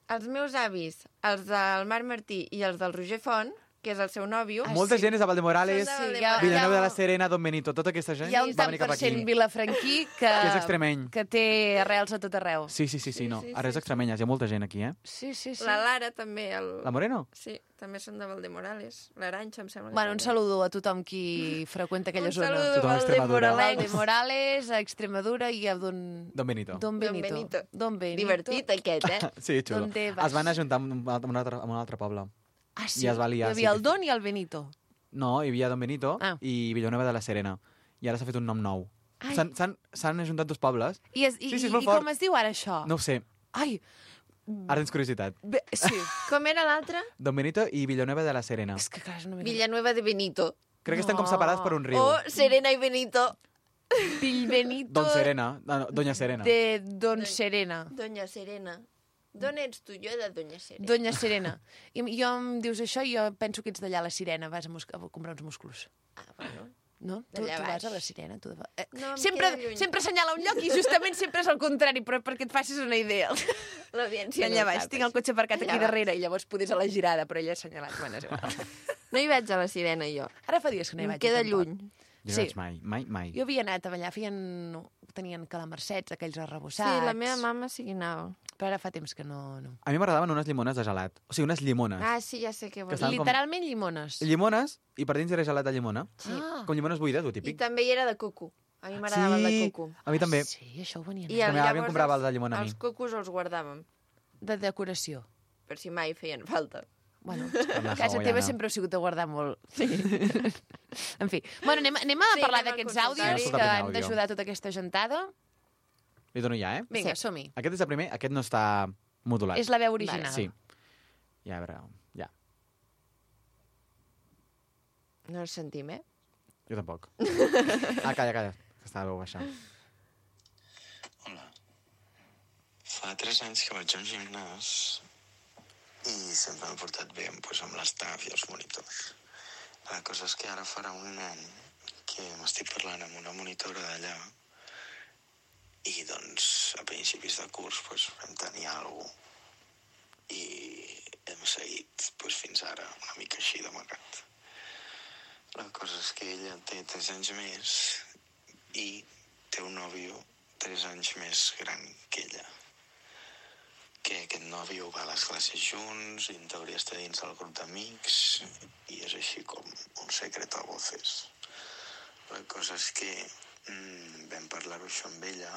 els meus avis, els del Marc Martí i els del Roger Font, que és el seu nòvio, Ah, Molta sí. gent és de Valdemorales, Són de Sí, Valdemorales. ja- Villanueva de la Serena, Don Benito. Tota aquesta gent Hi ha un va tant venir per cap cent aquí. vilafranquí que, Que és extremeny. que té arrels a tot arreu. Sí, sí, sí, sí, no. sí, Ara és extremenyes, hi ha molta gent aquí, eh? Sí, sí, sí. la Lara també. El... La Moreno? Sí, també són de Valdemorales. L'Aranxa, em sembla. que Bueno, un també. saludo a tothom qui freqüenta aquella Un zona. saludo Tothom a Extremadura. Valde Morales, a Extremadura i a Don... Don Benito. Don Don Benito. Benito. Don Benito. Divertit, aquest, eh? Sí, xulo. Donde vas? Es van ajuntar amb un, amb un, altre, amb un altre poble. Ah, sí? I es va liar, Hi havia sí, el que- Don i el Benito. No, hi havia Don Benito Ah. i Villanueva de la Serena. I ara s'ha fet un nom nou. Ai. S'han- S'han s'han ajuntat dos pobles. I, es, i, Sí, sí, és i, molt i fort. com es diu ara això? No ho sé, Ai, ara tens curiositat. bé, sí. Com era l'altre? Don Benito i Villanueva de la Serena. És que clar, és una mica... Villanueva de Benito. Crec que estan com No. separats per un riu. O Serena i Benito. Bill Benito Don Serena. No, no, Doña Serena. de Don Serena. Doña Serena. D'on ets tu? Jo de Doña Serena. Doña Serena. I jo em dius això i jo penso que ets d'allà a la Sirena, vas a, mus- a comprar uns músculs. Ah, bueno. No? Tu, tu D'allà vas baix. a la Sirena. Tu de... eh, No, em sempre, queda lluny. sempre assenyala un lloc i justament sempre és el contrari, però perquè et facis una idea. L'audiència Allà no baix, sap tinc el això. cotxe aparcat aquí Allà baix. darrere i llavors podies a la girada, però ella ha assenyalat. Bueno, és igual. No hi vaig a la Sirena, jo. Ara fa dies que no hi Em vaig. queda tampoc. lluny. Jo no Sí. vaig mai, mai, mai. Jo havia anat a ballar, feien... tenien calamarsets, aquells Sí, arrebossats. la meva mama sí que anava. Però ara fa temps que no... no. A mi m'agradaven unes llimones de gelat. O sigui, unes llimones. Ah, sí, ja sé què Que vols estan dir. com- Literalment llimones. Llimones, i per dins era gelat de llimona. Sí. Ah. Com llimones buides, ho I típic. també hi era de coco. A mi m'agradava el de coco. a mi també. Sí, això ho venia I a la el, meva àvia em llavors comprava els- el de llimona a mi. Els cocos els guardàvem. de decoració. Per si mai feien falta. Bueno, la casa hawaiana. teva sempre heu sigut a guardar molt. Sí. En fi. Bueno, anem, anem a Sí, parlar anem al d'aquests consultori. àudios Anem a que escoltar han primer àudio. d'ajudar tota aquesta gentada. Li dono ja, eh? Vinga, Sí. som-hi. Aquest és el primer, aquest no està modulat. És la veu original. Sí. Ja, a veure, ja. No el sentim, eh? Jo tampoc. Ah, calla, calla, que està la veu baixa. Hola. Fa tres anys que vaig a un gimnàs i sempre m'he portat bé pues, amb l'estaf i els monitors. La cosa és que ara farà un any que m'estic parlant amb una monitora d'allà i doncs a principis de curs pues, vam tenir alguna cosa i hem seguit pues, fins ara una mica així d'amagat. La cosa és que ella té tres anys més i té un nòvio tres anys més gran que ella. Que aquest nòvio va a les classes junts i en teoria està dins del grup d'amics i és així com un secret a voces. La cosa és que mmm, vam parlar-ho això amb ella,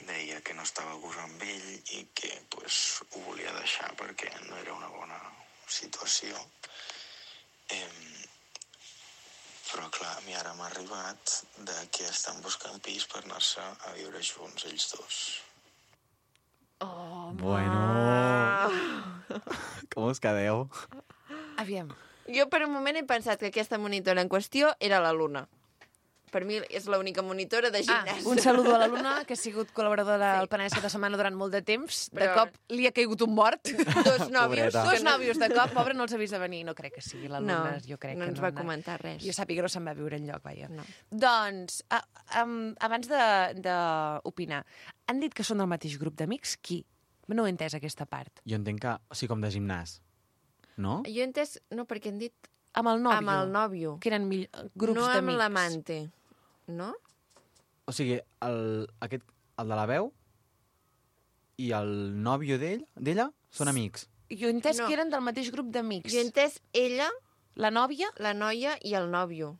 deia que no estava a gust amb ell i que pues, ho volia deixar perquè no era una bona situació. Eh, però clar, a mi ara m'ha arribat de que estan buscant pis per anar-se a viure junts ells dos. Bueno. Com us quedeu? Aviam. Jo per un moment he pensat que aquesta monitora en qüestió era la Luna. Per mi és l'única monitora de Ah, gimnàs. un saludo a la Luna, que ha sigut col·laboradora del Sí. Penedès cada setmana durant molt de temps. De Però- cop li ha caigut un mort. Dos nòvios. Pobreta. Dos nòvios de cop, pobre, no els ha vist de venir. No crec que sigui la No, Luna, jo crec no que ens no va ha anat. comentar res. Jo sàpiga, no se'n va viure enlloc, vaja. No. Doncs, a, um, abans d'opinar, han dit que són del mateix grup d'amics? Qui? No he entès aquesta part. Jo entenc que, o sigui, com de gimnàs. No? Jo he entès, no, perquè han dit Amb el nòvio. amb el nòvio, Que eren mill... grups no d'amics. amb l'amante. No? O sigui, el, aquest, el de la veu i el nòvio d'ell, d'ella són amics. Jo he entès No. que eren del mateix grup d'amics. Jo he entès ella, La nòvia, la noia i el nòvio,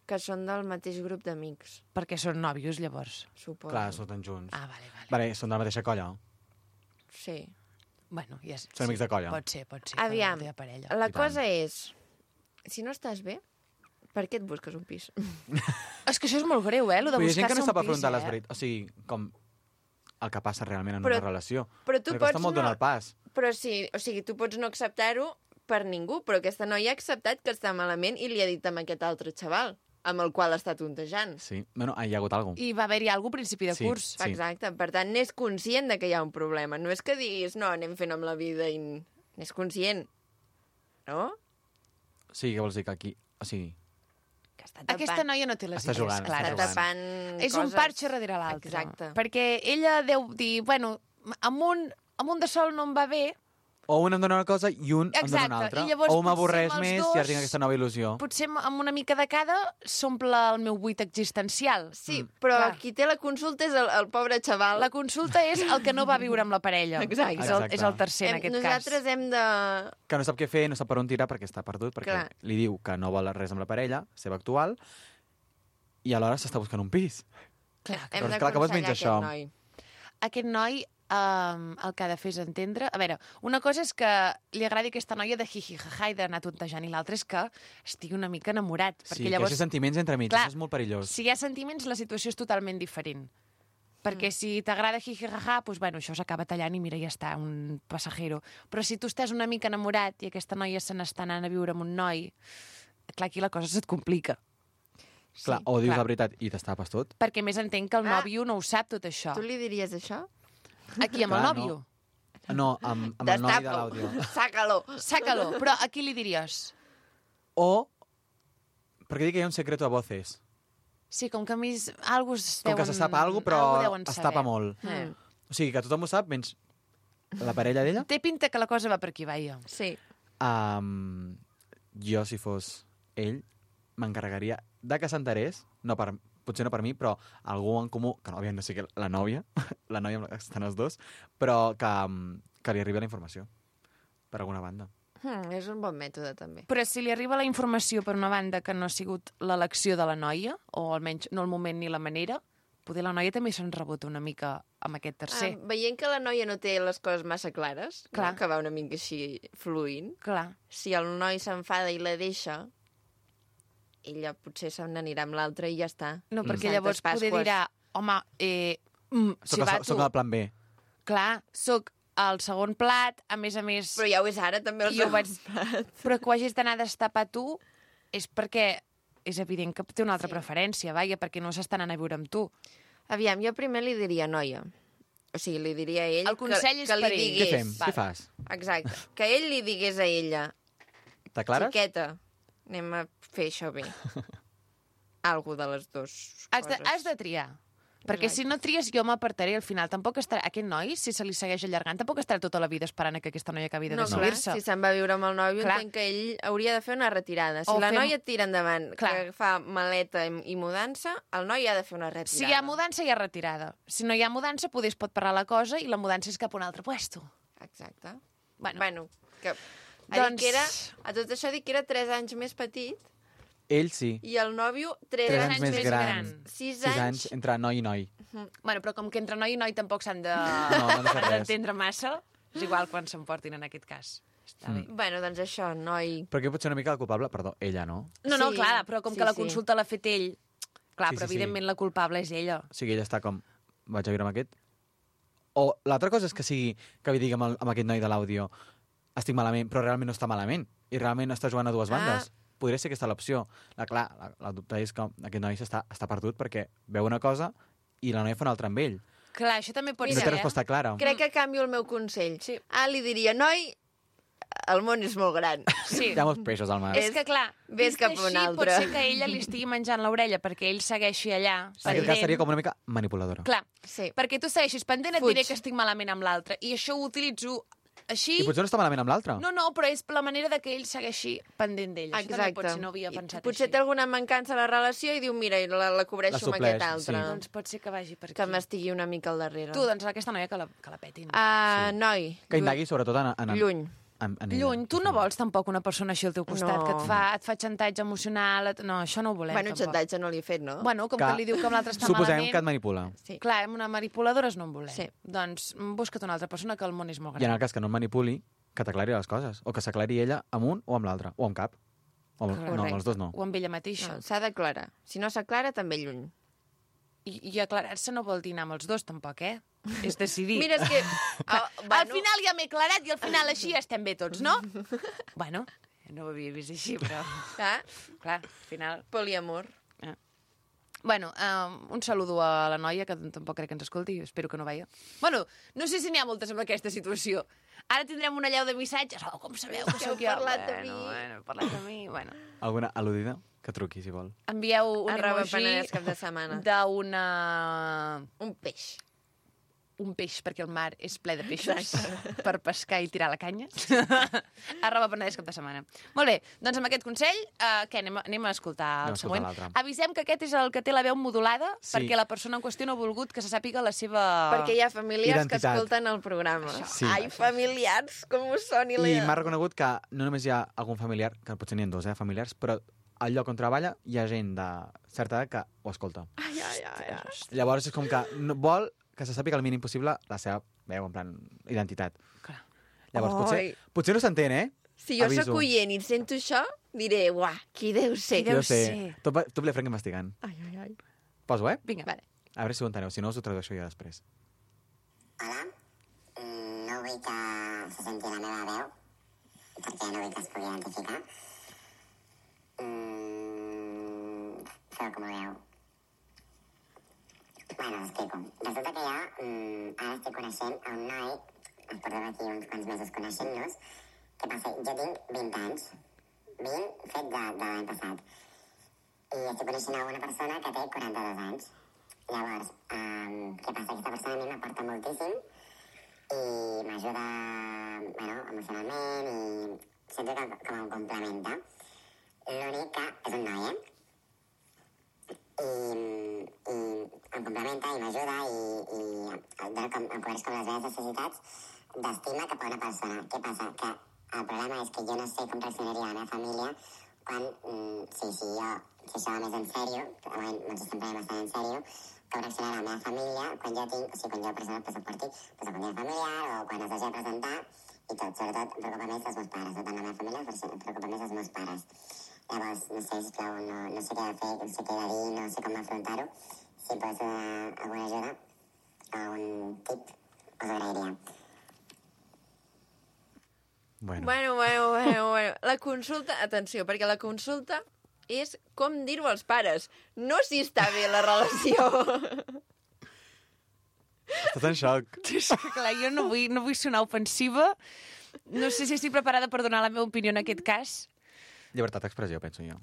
que són del mateix grup d'amics, perquè són nòvios, llavors. suposo. Clar, surten junts. Ah, vale, vale. Vale, són de la mateixa colla. Sí. Bueno, ja és... Són amics de colla. Pot ser, pot ser. Aviam, que no té parella. la I tant. cosa és, si no estàs bé, per què et busques un pis? És que això és molt greu, eh, lo de Però hi ha gent que buscar-se no un sap pis, afrontar eh? les veritats. O sigui, com el que passa realment en Però- una relació. però tu Perquè costa pots molt no- donar el pas. Però sí, o sigui, tu pots no acceptar-ho per ningú, però aquesta noia ha acceptat que està malament i li ha dit amb aquest altre xaval, amb el qual està tontejant. Sí. Bueno, hi ha hagut alguna cosa. I va haver-hi alguna cosa a principi de Sí. curs. Sí. Exacte, per tant, n'és conscient de que hi ha un problema. No és que diguis, no, anem fent amb la vida i... N'és conscient, no? O sigui, què vols dir que aquí... O sigui, Que està tapant. Aquesta noia no té les Està idees jugant, està clares. Està tapant És coses. un parxe darrere l'altre. Exacte. Perquè ella deu dir, bueno, amb un, amb un de sol no em va bé, o un em dona una cosa i un em dona Exacte, una altra. i llavors O potser m'avorreix amb els més dos- i ara tinc aquesta nova il·lusió. potser amb una mica de cada s'omple el meu buit existencial. Sí, però Clar. qui té la consulta és el, el pobre xaval. La consulta és el que no va viure amb la parella. Exacte. És el, Exacte. és el tercer, en Hem, aquest nosaltres cas. hem de... Que no sap què fer, no sap per on tirar perquè està perdut, perquè Clar. li diu que no vol res amb la parella, seva actual, i alhora s'està buscant un pis. Clar, Hem Doncs clar, que vols menys d'aconsellar això. aquest noi. aquest noi um, el que ha de fer és entendre... A veure, una cosa és que li agradi aquesta noia de jiji-jaja i d'anar tontejant, i l'altra és que estigui una mica enamorat. Sí, perquè que hi llavors, hagi sentiments entre mig, Clar, això és molt perillós. si hi ha sentiments, la situació és totalment diferent. Perquè Mm. si t'agrada jiji-jaja, doncs, bueno, això s'acaba tallant i mira, ja està, un passajero. Però si tu estàs una mica enamorat i aquesta noia se n'està anant a viure amb un noi, clar, aquí la cosa se't complica. Clar, o dius clar. la veritat i t'estapes tot. Perquè més entenc que el Ah. nòvio no ho sap, tot això. Tu li diries això? Aquí, amb el Clar, nòvio. No, amb, amb el noi de Destapa-ho. l'àudio. Saca-lo. Sácalo. Però a qui li diries? O, perquè dic que hi ha un secreto a voces. Sí, com que a mi és- algú es Com deuen... que se sap alguna cosa, algú però deuen es saber. tapa molt. Mm. O sigui, que tothom ho sap, menys la parella d'ella. Té pinta que la cosa va per aquí, vaia. Sí. Um, jo, si fos ell, m'encarregaria de que s'enterés, no per, potser no per mi, però algú en comú, que no havia de ser la nòvia, la nòvia amb la que estan els dos, però que, um, que li arribi la informació, per alguna banda. Hmm, és un bon mètode, també. Però si li arriba la informació per una banda que no ha sigut l'elecció de la noia, o almenys no el moment ni la manera, poder la noia també se'n rebota una mica amb aquest tercer. Ah, veient que la noia no té les coses massa clares, Clar. no? Que va una mica així fluint, Clar. si el noi s'enfada i la deixa, ella potser se n'anirà amb l'altre i ja està. No, perquè Santes llavors poder Pasqües. dirà, home, eh, mm, si Soc, va el, tu... soc el plan B. Clar, soc el segon plat, a més a més... Però ja ho és ara, també el Jo segon vaig- plat. Però que ho hagis d'anar a destapar tu és perquè és evident que té una altra Sí. preferència, vaja, perquè no s'està anant a viure amb tu. Aviam, jo primer li diria noia. O sigui, li diria a ell El consell que, és que li per ell. Què digués... fem? Val. Què fas? Exacte. Que ell li digués a ella, T'aclares? xiqueta, anem a fer això bé. Algo de les dues Has de, coses. has de triar. Perquè Exacte. si no tries, jo m'apartaré al final. Tampoc estarà... Aquest noi, si se li segueix allargant, tampoc estarà tota la vida esperant a que aquesta noia acabi de No, clar, decidir-se. si se'n va a viure amb el nòvio, Clar. entenc que ell hauria de fer una retirada. Si O la fem- noia tira endavant, Clar. que fa maleta i, i mudança, el noi ha de fer una retirada. Si hi ha mudança, hi ha retirada. Si no hi ha mudança, poder es pot parar la cosa i la mudança és cap a un altre puesto. Exacte. Bueno, Bueno, que... Ha Doncs- dit que era, a tot això dic que era tres anys més petit Ell sí. i el nòvio tres, Tres anys anys més més gran. gran. Sis Sis anys. anys entre noi i noi. bueno, però com que entre noi i noi tampoc s'han de- No, no han de fer res. d'entendre massa, és igual quan s'emportin en aquest cas. Està bé. Bueno, doncs això, noi... Però aquí pot ser una mica el culpable, perdó, ella, no? No, no, Sí, clar, però com sí, que la sí. consulta l'ha fet ell, clar, Sí, però sí, sí. evidentment la culpable és ella. O sigui, ella està com, vaig a viure amb aquest. O l'altra cosa és que sigui, que li digui amb, el, amb aquest noi de l'àudio, estic malament, però realment no està malament. I realment està jugant a dues Ah. bandes. Podria ser aquesta l'opció. La, clar, la, la dubte és que aquest noi està, està perdut perquè veu una cosa i la noia fa una altra amb ell. Clar, això també pot Mira, no té ser, eh? resposta clara. Crec que canvio el meu consell. Sí. Ah, li diria, noi, el món és molt gran. Sí. Hi ha molts peixos al mar. És que, clar, Ves vist cap a un així, altre. pot ser que ella li estigui menjant l'orella perquè ell segueixi allà, En aquest cas pendent. seria com una mica manipuladora. Clar, Sí. perquè tu segueixis pendent, et Fuig. diré que estic malament amb l'altre. I això ho utilitzo així... I potser no està malament amb l'altre. No, no, però és la manera de que ell segueixi pendent d'ell. Això també Exacte. pot ser, no havia I pensat potser té així. alguna mancança a la relació i diu, mira, i la, la cobreixo La amb supleix, aquest altre. sí. Doncs pot ser que vagi per aquí. Que m'estigui una mica al darrere. Tu, doncs, aquesta noia que la, que la petin. Ah, noi. Que indagui sobretot en, en, Lluny. en, en ella. Lluny, tu no vols tampoc una persona així al teu costat, No. que et fa, et fa xantatge emocional... Et... No, això no ho volem, Bueno, tampoc. xantatge no li he fet, no? Bueno, com que, Que li diu que amb l'altre està Suposem malament... que et manipula. Sí. Clar, amb una manipuladores no en volem. Sí. Doncs mm, busca't una altra persona, que el món és molt I en gran. el cas que no et manipuli, que t'aclari les coses. O que s'aclari ella amb un o amb l'altre. O amb cap. O amb, no, amb els dos no. O amb ella mateixa. No, s'ha d'aclarar. Si no s'aclara, també lluny. I, I aclarar-se no vol dir anar amb els dos, tampoc, eh? És decidir. Mira, és que... Oh, Al final ja m'he aclarat i al final així estem bé tots, no? Bueno, no ho havia vist així, però... Ah, Clar, al final... poliamor. Bueno, um, un saludo a la noia, que tampoc crec que ens escolti, espero que no veia. Bueno, no sé si n'hi ha moltes amb aquesta situació. Ara tindrem una llau de missatges. Oh, com sabeu que Que heu sóc jo? parlat de bueno, mi. Bueno, heu parlat de mi, bueno. Alguna al·ludida? Que truqui, si vol. Envieu un Arroba emoji Penedès cap de setmana. d'una... Un peix. un peix, perquè el mar és ple de peixos per pescar i tirar la canya. Arroba Penedès cap de setmana. Molt bé, doncs amb aquest consell, uh, què, anem, a- anem a escoltar Anem a el escoltar següent. l'altre. Avisem que aquest és el que té la veu modulada, Sí. perquè la persona en qüestió no ha volgut que se sàpiga la seva... Perquè hi ha familiars Identitat. que escolten el programa. Sí. Ai, familiars, com us soni la... I m'ha reconegut que no només hi ha algun familiar, que potser n'hi ha dos, eh, familiars, però al lloc on treballa hi ha gent de certa edat que ho escolta. Ai, ai, ai, ai. Llavors és com que no, vol que se sàpiga el mínim possible la seva veu, en plan, identitat. Clar. Llavors, potser, Ai. potser no s'entén, eh? Si jo Aviso. sóc oient i sento això, diré, uah, qui deu ser? Qui deu Jo sé. ser. Tot, va- tot ple franc investigant. Ai, ai, ai. Poso, eh? Vinga. Vale. A veure si ho enteneu, si no us ho tradueixo jo després. Hola, Mm, no vull que se senti la meva veu, perquè no vull que es pugui identificar. Mm, feu com vulgueu. Bueno, us explico. Resulta que jo mm, ara estic coneixent a un noi, ens portem aquí uns quants mesos coneixent-nos. Què passa? Jo tinc vint anys, vint fet de, de l'any passat, i estic coneixent a una persona que té quaranta-dos anys. Llavors, um, què passa? Aquesta persona a mi m'aporta moltíssim i m'ajuda, bueno, emocionalment i sento que com em complementa. L'únic que és un noi, eh? I, i em complementa i m'ajuda i, i em, dona com, em cobreix com les meves necessitats d'estima cap a una persona. Què passa? Que el problema és que jo no sé com reaccionaria la meva família quan, mm, sí, sí, jo, si això va més en sèrio, de moment ens estem prenent bastant en sèrio, com reaccionarà la meva família quan jo tinc, o sigui, quan jo presento el passaporti, pues, el dia familiar o quan es hagi de presentar i tot. Sobretot em preocupa més els meus pares, no tant la meva família, però em preocupa més els meus pares. Llavors, no sé, sisplau, no, no sé què he de fer, no sé què he de dir, no sé com afrontar-ho. Si pots donar alguna ajuda o un tip, us agrairia. Bueno. Bueno, bueno, bueno, bueno. La consulta, atenció, perquè la consulta és com dir-ho als pares, no si està bé la relació. Estàs en xoc. És que, clar, jo no vull, no vull sonar ofensiva. No sé si estic preparada per donar la meva opinió en aquest cas. Llibertat d'expressió, penso jo.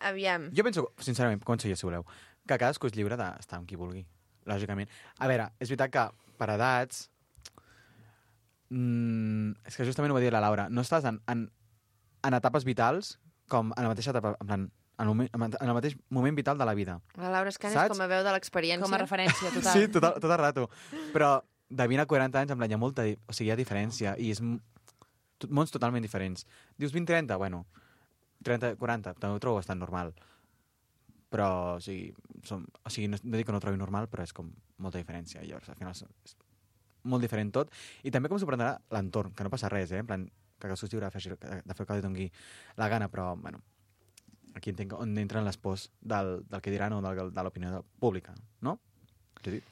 Aviam. Jo penso, sincerament, conseller, si voleu, que cadascú és lliure d'estar amb qui vulgui, lògicament. A veure, és veritat que per edats... Mm, és que justament ho va dir la Laura. No estàs en, en, en etapes vitals com en la mateixa etapa, en plan, en el, moment, en el mateix moment vital de la vida. La Laura Escanes Saps? com a veu de l'experiència. Com a referència, total. Sí, tot, el- tot el rato. Però de vint a quaranta anys, en plan, hi ha molta... di- O sigui, hi ha diferència i és m- tot, mons totalment diferents. Dius vint trenta, bueno, trenta quaranta, també ho trobo bastant normal. Però, o sigui, som, o sigui no, no dic que no ho trobi normal, però és com molta diferència. I llavors, al final, és molt diferent tot. I també com s'ho prendrà l'entorn, que no passa res, eh? En plan, que cadascú es lliure de fer, de fer el que li doni la gana, però, bueno, aquí entenc on entren les pors del, del que diran o del, de l'opinió pública, no? Judit?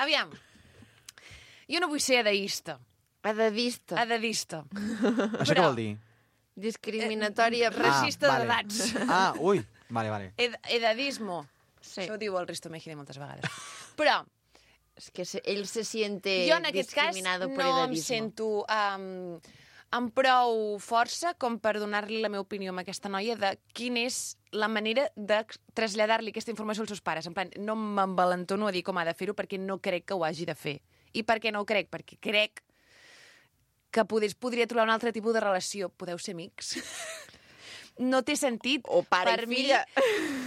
Aviam. Jo no vull ser edeista. Edadista. Edadista. Això què vol dir? Discriminatòria. Racista vale. d'edats. Ah, ui, vale, vale. Ed edadismo. Sí. Això ho diu el Risto Mejide moltes vegades. Però És que se, ell se siente jo en aquest cas discriminado por no em edadismo. sento um, amb prou força com per donar-li la meva opinió a aquesta noia de quina és la manera de traslladar-li aquesta informació als seus pares. En plan, no m'envalentono a dir com ha de fer-ho perquè no crec que ho hagi de fer. I per què no ho crec? Perquè crec que podés, podria trobar un altre tipus de relació. Podeu ser amics? No té sentit. O pare per i filla.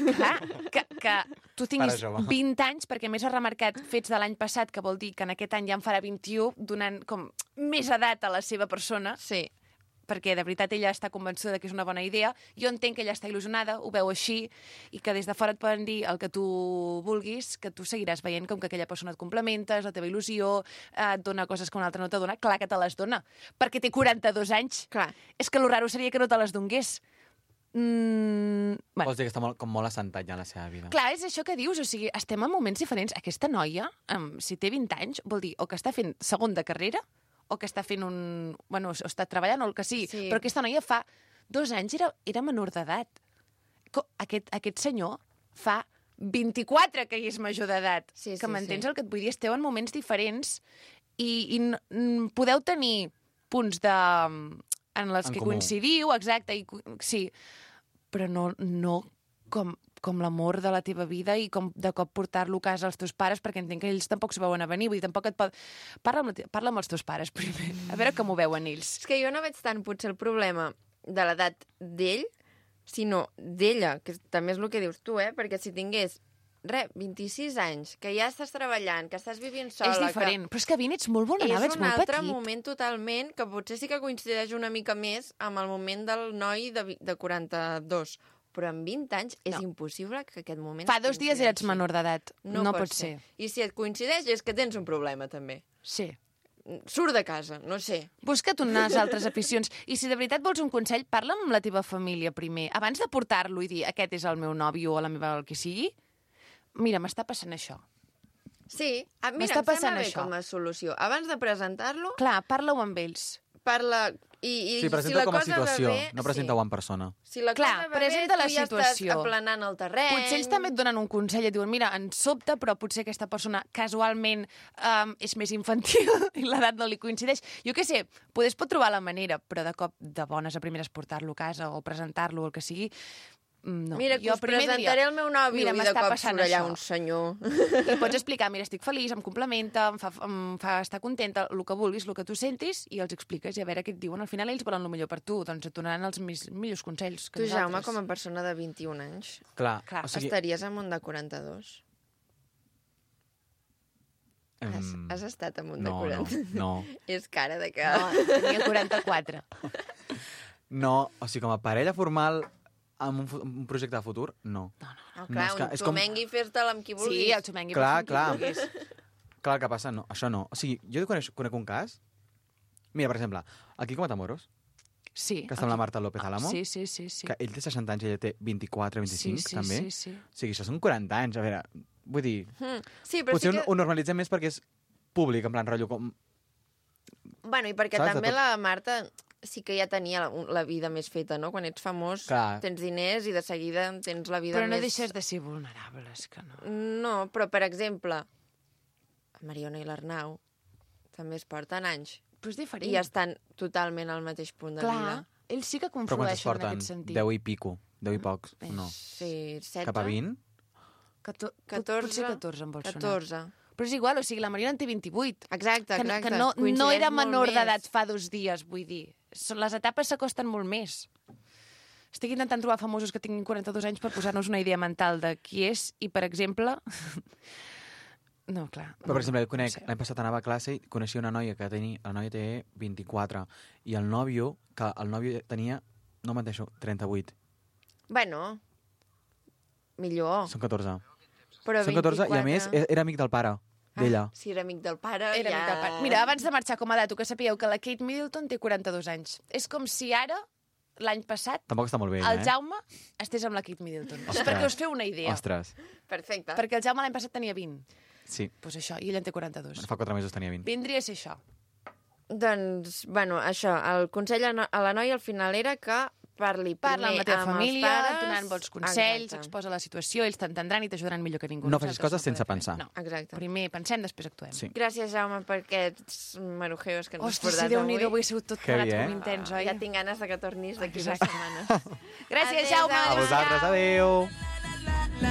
Mi, clar, que, que tu tinguis Pare jove. vint anys, perquè més ha remarcat fets de l'any passat, que vol dir que en aquest any ja en farà vint-i-u, donant com més edat a la seva persona, Sí. perquè de veritat ella està convençuda de que és una bona idea. Jo entenc que ella està il·lusionada, ho veu així, i que des de fora et poden dir el que tu vulguis, que tu seguiràs veient com que aquella persona et complementa, és la teva il·lusió, et dona coses que una altra no te dona. Clar que te les dona, perquè té quaranta-dos anys. Clar. És que lo raro seria que no te les donés. Mm, bueno. Vols dir que està molt, com molt assentat ja en la seva vida. Clar, és això que dius, o sigui, estem en moments diferents. Aquesta noia, um, si té vint anys, vol dir o que està fent segon de carrera, o que està fent un... Bueno, o està treballant o el que sigui. Sí. Però aquesta noia fa dos anys era, era menor d'edat. Co- Aquest, aquest senyor fa vint-i-quatre que hi és major d'edat. Sí, que sí, m'entens sí. el que et vull dir? Esteu en moments diferents i, i n- n- podeu tenir punts de... en els En que comú. coincidiu, exacte, i, co- sí, però no, no com, com l'amor de la teva vida i com de cop portar-lo a casa als teus pares, perquè entenc que ells tampoc s'ho veuen a venir, vull dir, tampoc et pot... Parla amb, la te- parla amb els teus pares primer, a veure com ho veuen ells. És que jo no veig tant potser el problema de l'edat d'ell, sinó d'ella, que també és el que dius tu, eh? Perquè si tingués, re, vint-i-sis anys, que ja estàs treballant, que estàs vivint sola... És diferent, però és que Vin ets molt Que vulnerable, és ets un molt altre petit. moment totalment, que potser sí que coincideix una mica més amb el moment del noi de, vi- de quaranta-dos. Però amb vint anys és No. impossible que aquest moment... Fa dos dies eres coincideixi. menor d'edat, no, no pot, pot ser. I si et coincideix és que tens un problema, també. Sí. Surt de casa, no sé. Busca't unes altres aficions. I si de veritat vols un consell, parla amb la teva família primer. Abans de portar-lo i dir aquest és el meu nòvio o la meva el que sigui, mira, m'està passant això. Sí, a, mira, M'està em passant sembla bé això. com a solució. Abans de presentar-lo, Clar, parla-ho amb ells. parla... I, i Sí, si presenta la com a cosa situació, va bé, no presenta-ho en persona. Si la Clar, cosa va presenta bé, la tu ja situació. estàs aplanant el terreny... Potser ells també et donen un consell i et diuen, mira, ens sobta, però potser aquesta persona casualment um, és més infantil i l'edat no li coincideix. Jo què sé, potser es pot trobar la manera, però de cop de bones a primeres portar-lo a casa o presentar-lo o el que sigui, no. Mira, que Jo us primer presentaré diria, el meu nòvio mira, i de m'està cop passant surt allà això. un senyor. I pots explicar, mira, estic feliç, em complementa, em fa, em fa estar contenta, el que vulguis, el que tu sentis, i els expliques, i a veure què et diuen. Al final ells volen el millor per tu, doncs et donaran els mis, millors consells que Tu, Jaume, nosaltres. com a persona de vint-i-un anys, Clar, Clar, o sigui... estaries en un de quaranta-dos? Has, em, has estat en un de no, no, quaranta? no. És cara de que... No, tenia quaranta-quatre. No, o sigui, com a parella formal, amb un, fu- un projecte de futur, no. No, No, clar, és que- un és com- xumengui fes-te'l amb qui vulguis. Sí, el xumengui. Clar, pot fer clar. el que vulguis. Clar, el que passa, no, això no. O sigui, jo conec, conec un cas... Mira, per exemple, el Quico Matamoros, Sí. que està amb la Marta López Álamo, Sí, sí, sí. sí. que ell té seixanta anys i ella té vint-i-quatre, vint-i-cinc, sí, sí, també. Sí, sí. O sigui, això són quaranta anys, a veure, vull dir... Mm. Sí, però Potser sí que... ho normalitzem més perquè és públic, en plan, rotllo, com... Bueno, i perquè Saps? De també tot- la Marta sí que ja tenia la, la vida més feta, no? Quan ets famós, Clar. tens diners i de seguida tens la vida Però no més... deixes de ser vulnerable, és que no. No, però, per exemple, la Mariona i l'Arnau també es porten anys Però és diferent. i estan totalment al mateix punt de Clar, vida. ells sí que Però quants es conflueixen en porten? aquest sentit. deu i pico, deu i pocs, no. Sí, setze. Cap a vint? Cator... catorze. Potser catorze em vol sonar. catorze. Però és igual, o sigui, la Mariona en té vint-i-vuit. Exacte, Que, exacte. que no, no Coincideix era molt menor més. d'edat fa dos dies, vull dir. Són- Les etapes s'acosten molt més. Estic intentant trobar famosos que tinguin quaranta-dos anys per posar-nos una idea mental de qui és i, per exemple... No, clar. Però, per exemple, jo no conec, sé. l'any passat anava a classe i coneixia una noia que tenia, la noia té vint-i-quatre, i el nòvio, que el nòvio tenia, no menteixo, trenta-vuit. Bueno, millor. Són catorze. Però Són catorze, i a més, vint-i-quatre. era amic del pare, d'ella. Ah, si era amic del pare, Era ja... amic del pare. Mira, abans de marxar com a dato, que sapigueu que la Kate Middleton té quaranta-dos anys. És com si ara, l'any passat, Tampoc està molt bé, el ella, eh? Jaume estés amb la Kate Middleton. Ostres. Perquè us feu una idea. Ostres, Perfecte. Perquè el Jaume l'any passat tenia vint. sí. Doncs pues això, i ell en té quaranta-dos. Fa quatre mesos tenia vint. Vindria a ser això. Doncs, bueno, això, el consell a no- a la noia al final era que parli Parla amb primer la teva amb família, els pares... donant bons consells, Exacte. exposa la situació, ells t'entendran i t'ajudaran millor que ningú. No facis Nosaltres coses sense podem fer. pensar. No. Exacte. Primer pensem, després actuem. Sí. Gràcies, Jaume, per aquests marujeos que ens has Ostres, portat si Déu-n'hi-do, avui. avui ha sigut tot Heavy, plegat eh? com intens, oi? Ja tinc ganes de que tornis d'aquí dues Exacte. setmanes. Gràcies, Adéu, Jaume. A vosaltres, adéu!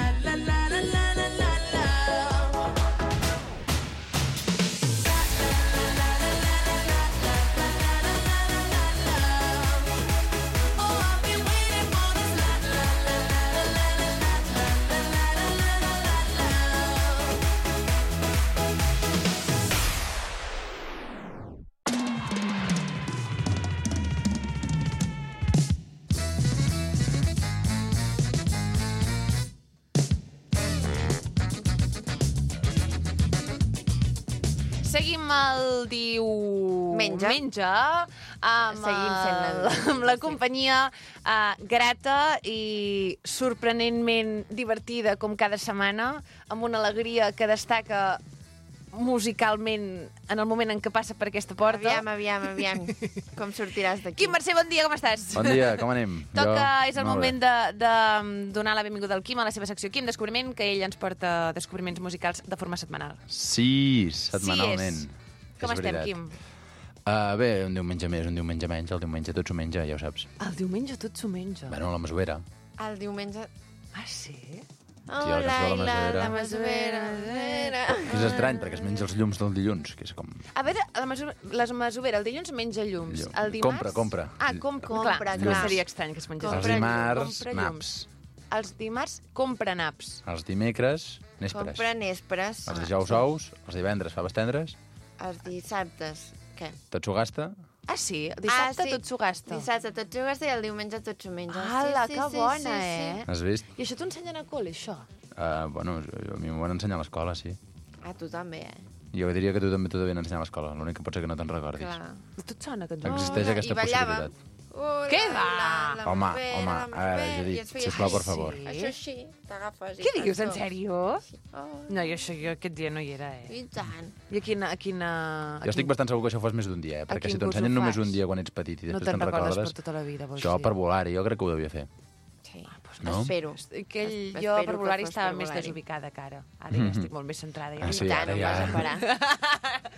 Seguim el diu... Menja. Menja amb, Seguim fent la- el, amb la companyia uh, grata i sorprenentment divertida com cada setmana, amb una alegria que destaca musicalment en el moment en què passa per aquesta porta. Aviam, aviam, aviam. Com sortiràs d'aquí? Quim Mercè, bon dia, com estàs? Bon dia, com anem? Toca, Jo- és el molt bé. moment de, de donar la benvinguda al Quim a la seva secció Quim Descobriment, que ell ens porta descobriments musicals de forma setmanal. Sí, setmanalment. Sí és. Com És estem, veritat. Quim? Uh, bé, un diumenge més, un diumenge menys, el diumenge tot s'ho menja, ja ho saps. El diumenge tot s'ho menja. Bueno, la masovera. El diumenge... Ah, sí? Oh, Sí, el que es veu Laila, la masovera. la masovera, masovera. Que és estrany, perquè es menja els llums del dilluns, que és com... A veure, la maso la masovera, el dilluns menja llums. Llum. El dimarts... Compra, compra. Ah, com, Compra, clar, clar. no seria estrany que es mengés. Els Compra dimarts, compra llums. naps. Els dimarts compra naps. Els dimecres, nespres. Compra nespres. Els dijous, ous. Els divendres, faves tendres. Els dissabtes. Què? Tot s'ho gasta. Ah, sí? El dissabte Ah, sí. tot s'ho gasta. Dissabte tot s'ho gasta i el diumenge tot s'ho menja. Ala, sí, sí, que sí, bona, sí, eh? Has vist? I això t'ho ensenyen a col·le, això? Uh, bueno, a mi m'ho van ensenyar a l'escola, sí. Sí. Ah, tu també, eh? Jo diria que tu també t'ho devien ensenyar a l'escola. L'únic que pot ser que no te'n recordis. Clar. Tot sona que no. Existeix Oh, aquesta i ballava. possibilitat. Oh, Què la, va? la, la Home, masovera, home, la a veure, masovera, Judit, i es feia sisplau, per així. favor. Sí? Això sí, t'agafes i Què fas dius, en dos. sèrio? Oh, No, jo això jo aquest dia no hi era, eh? I tant. I a quina... A quina a Jo estic quin- bastant segur que això fos més d'un dia, eh? A perquè quin si t'ho curs ho ensenyen només fas? un dia quan ets petit i No després te'n te'n recordes recordes, per tota la vida, vols això dir? per volar-hi, jo crec que ho devia fer. Sí. No? Espero. Que ell, Es- jo espero per que volar-hi fos estava per més volar-hi. desubicada que ara. Ara ja estic molt més centrada. Ja Ah, no sí, I tant, ara no ja. vas a parar.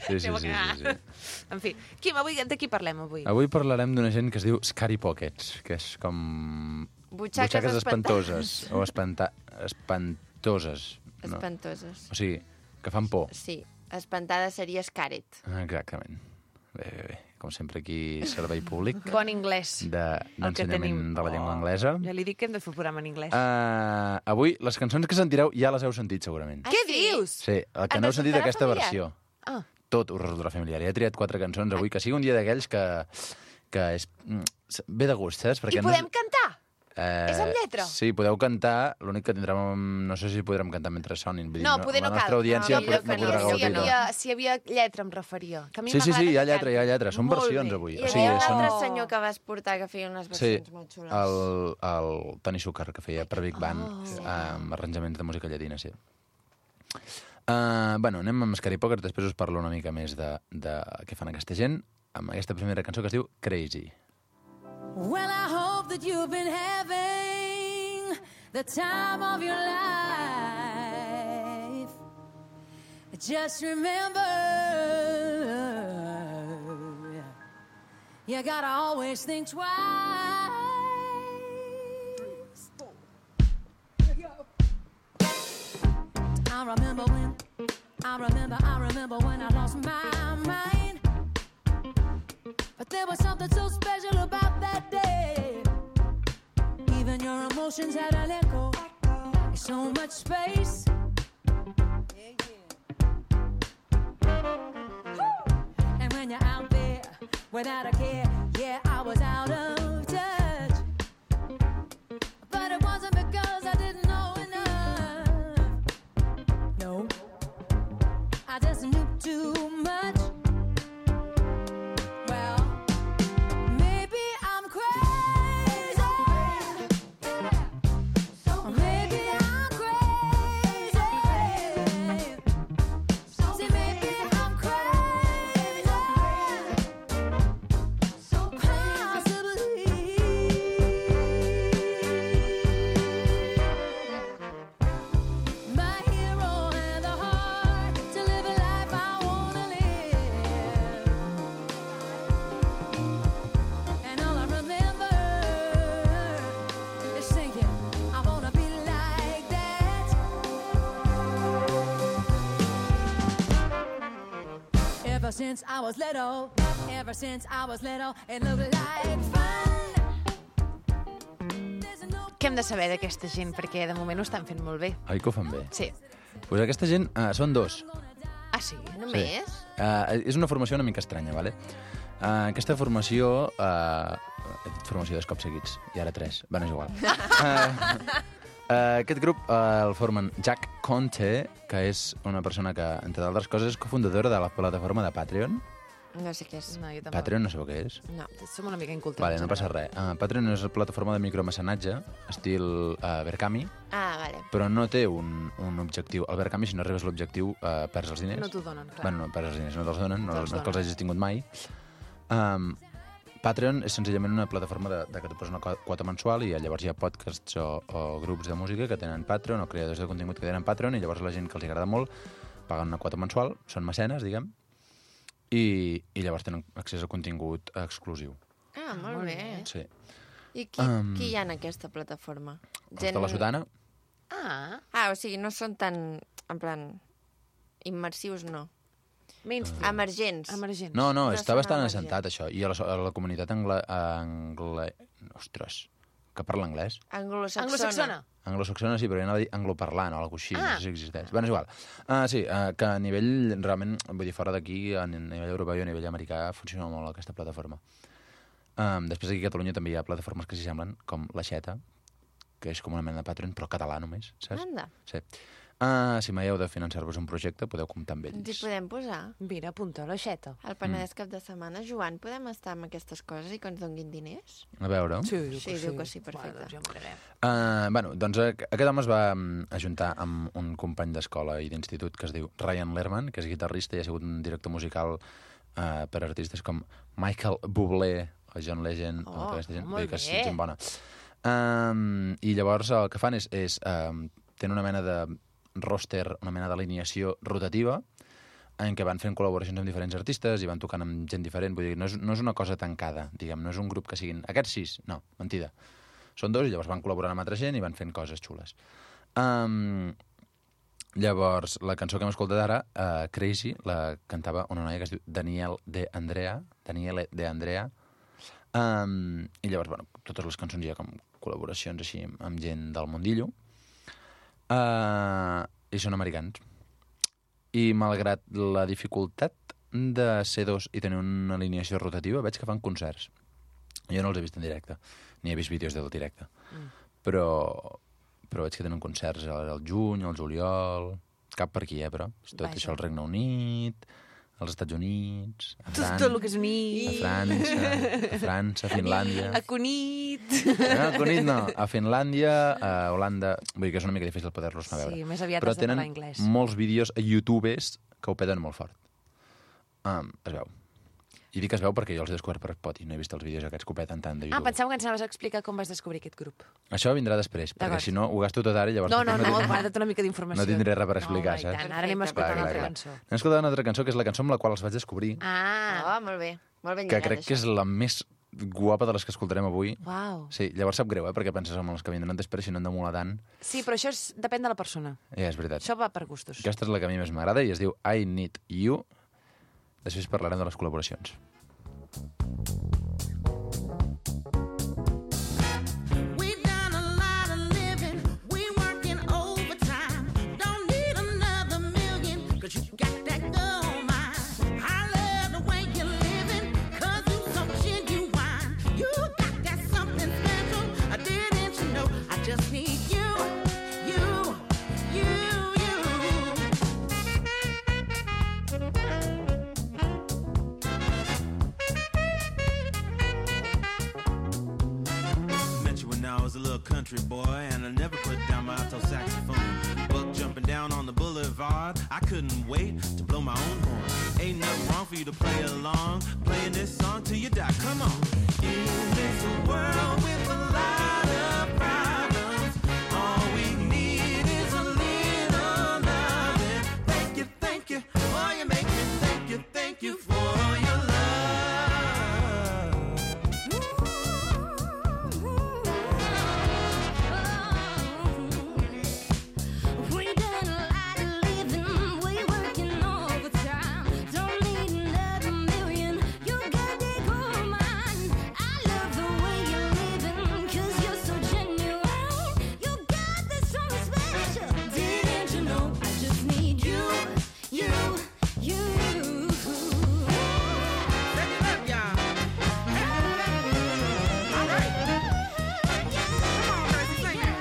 Sí, sí, Anem a sí, sí, cagar. sí. En fi, Quim, avui de qui parlem avui? Avui parlarem d'una gent que es diu Scary Pockets, que és com... Butxaques espantoses. O espanta... espantoses. No. Espantoses. O sigui, que fan por. Sí, espantada seria Scaret. Exactament. Bé, bé, bé. Com sempre aquí, servei públic Bon anglès. de- El que tenim. d'ensenyament de la llengua anglesa. Ja li dic que hem de fer un programa en anglès. Uh, avui, les cançons que sentireu ja les heu sentit, segurament. Ah, Què sí? dius? Sí, el que Ens no heu sentit resultarà d'aquesta familiar? versió. Ah. Tot us resultarà familiar. Ja he triat quatre cançons avui, que sigui un dia d'aquells que, que és, mm, ve de gust, saps? I podem no... cantar? Eh, És amb lletra? Sí, podeu cantar, l'únic que tindrem... No sé si podrem cantar mentre sonin. Vull dir, No, poder no la cal. nostra audiència No, no, millor no que no. podrà Si hi gaudir. havia, si hi havia lletra, em referia. Que a mi Sí, sí, m'agrada sí, hi ha que lletra, hi ha cantin. lletra. Són Molt versions, bé. avui. Hi O sigui, havia són... l'altre senyor que vas portar que feia unes Sí, versions molt xules. el, el Toni Súcar, que feia per Big Band, Oh. uh, amb arranjaments de música llatina, sí. Uh, bueno, anem amb Scary Poker, després us parlo una mica més de, de què fan aquesta gent, amb aquesta primera cançó que es diu Crazy. Well, I hope that you've been having the time of your life. Just remember, you gotta always think twice. I remember when, I remember, I remember when I lost my mind. But there was something so special about that day. Even your emotions had an echo. There's so much space. And when you're out there without a care, yeah, I was out of touch. But it wasn't because I didn't know enough. No, I just knew too much. Well, maybe I'm crazy. Or maybe I'm crazy. See, maybe I'm crazy. Possibly. My hero had the heart to live a life I wanna live. And all I remember is thinking, I wanna be like that. Ever since I was little, ever since I was little, it looked like fun. There's no Què hem de saber d'aquesta gent? Perquè de moment ho estan fent molt bé. Oi que ho fan bé? Sí. Pues aquesta gent uh, són dos. Ah, sí? Només? Uh, és una formació una mica estranya, vale? Uh, aquesta formació... Uh, formació dos cops seguits, i ara tres. Bueno, és igual. uh, uh, aquest grup uh, el formen Jack Conte, que és una persona que, entre d'altres coses, és cofundadora de la plataforma de Patreon. No sé què és. No, jo tampoc. Patreon no sabeu què és? No. Som una mica incultes. Vale, no passa res. Uh, Patreon és una plataforma de micromecenatge, estil uh, Berkami, Ah, vale. però no té un, un objectiu. Al Berkami, si no arribes a l'objectiu, uh, perds els diners. No t'ho donen, clar. Bueno, no perds els diners, no te'ls donen, no, Te'ls no és que els donen. hagis tingut mai. Um, Patreon és senzillament una plataforma de, de que tu poses una co- quota mensual i llavors hi ha podcasts o, o grups de música que tenen Patreon o creadors de contingut que tenen Patreon i llavors la gent que els agrada molt paguen una quota mensual, són mecenes, diguem, i, i llavors tenen accés a contingut exclusiu. Ah, molt, Molt bé. bé. Sí. I qui, Um, qui hi ha en aquesta plataforma? Els de la Sotana, Ah, Ah, o sigui, no són tan, en plan, immersius, no. mainstream. Emergents. Emergents. no, no, No està són bastant emergents. assentat, això. I a la, so- a la comunitat angle... angle... Ostres, que parla anglès. Anglosaxona. Anglosaxona. Anglosaxona sí, però jo anava a dir angloparlant o alguna cosa així, Ah. no sé si existeix. Bueno, és igual. Uh, sí, uh, que a nivell, realment, vull dir, fora d'aquí, a nivell europeu i a nivell americà, funciona molt aquesta plataforma. Um, després aquí a Catalunya també hi ha plataformes que s'hi semblen, com La Xeta, que és com una mena de Patreon, però català només, saps? Anda, Sí. Uh, si mai heu de finançar-vos un projecte, podeu comptar amb ens hi ells. podem posar. Mira, apunta l'aixeta. Al Penedès cap de setmana, Joan, podem estar amb aquestes coses i que ens donguin diners? A veure... Sí, diu Sí, diu que sí, perfecte. Bueno, doncs ja ho mirarem. Uh, bueno, doncs uh, aquest home es va um, ajuntar amb un company d'escola i d'institut que es diu Ryan Lerman, que és guitarrista i ha sigut un director musical uh, per artistes com Michael Bublé o John Legend, Oh, o tota aquesta gent. molt Vull dir que és bé. gent bona. Um, I llavors el que fan és, és um, tenen una mena de roster, una mena d'alineació rotativa en què van fent col·laboracions amb diferents artistes i van tocant amb gent diferent. Vull dir, no és, no és una cosa tancada, diguem, no és un grup que siguin aquests sis, no, mentida. Són dos i llavors van col·laborant amb altra gent i van fent coses xules. Um, llavors, la cançó que hem escoltat ara, uh, Crazy, la cantava una noia que es diu Daniel de Andrea, Daniele de Andrea, um, i llavors, bueno, totes les cançons hi ha com col·laboracions així amb gent del mundillo, uh, i són americans. I malgrat la dificultat de ser dos i tenir una alineació rotativa, veig que fan concerts. Jo no els he vist en directe, ni he vist vídeos del directe. Mm. Però, però veig que tenen concerts al, al juny, al juliol... Cap per aquí, eh, però. Tot Vaja. això al Regne Unit, als Estats Units, a Tot, França, tot el que és unit. a França, a França, a Finlàndia... A Cunit. No, a Cunit no. A Finlàndia, a Holanda... Vull dir que és una mica difícil poder-los anar a veure. Sí, més aviat però has de tenen parlar anglès. molts vídeos a youtubers que ho peten molt fort. Um, es veu. I dic es veu perquè jo els he descobert per Spotify, no he vist els vídeos aquests que ho peten tant de Ah, YouTube. pensava que ens anaves a explicar com vas descobrir aquest grup. Això vindrà després, perquè D'acord. si no ho gasto tot ara i llavors... No, no, després no, tindré- guarda't una mica d'informació. No tindré res per explicar, no, home, i saps? tant. Ara anem a escoltar Clar, una clar, altra clar. cançó. Anem a escoltar una altra cançó, que és la cançó amb la qual els vaig descobrir, Ah, Oh, molt bé. Molt ben que lligat, crec que és això. la més guapa de les que escoltarem avui. uau. Sí, llavors sap greu, eh? Perquè penses en els que vindran després, si no han de molar tant. Sí, però això és, depèn de la persona. Ja, és veritat. Això va per gustos. Aquesta és la que a mi més m'agrada i es diu I Need You. Després parlarem de les col·laboracions. We done a lot of living, we working overtime. Don't need another million, cause you got that gold mine. I love the way you're living, cause you so genuine. You got that something special, I didn't you know? I just need you, you, you, you. Met you when I was a little country boy, and I never put down my alto saxophone. Buck jumping down on the boulevard, I couldn't wait to blow my own horn. Ain't nothing wrong for you to play along, playing this song till you die. Come on. In this world with a lot of problems, all we need is a little loving. Thank you, thank you, oh you make me thank you, thank you for your love. We done a lot of living, we working overtime. Don't need another million, you got that gold mine. I love the way you're living, cause you're so genuine. You got this something special, didn't you know? I just need you, you, you. Set it up, y'all. All right. Come on, Tracy, sing it.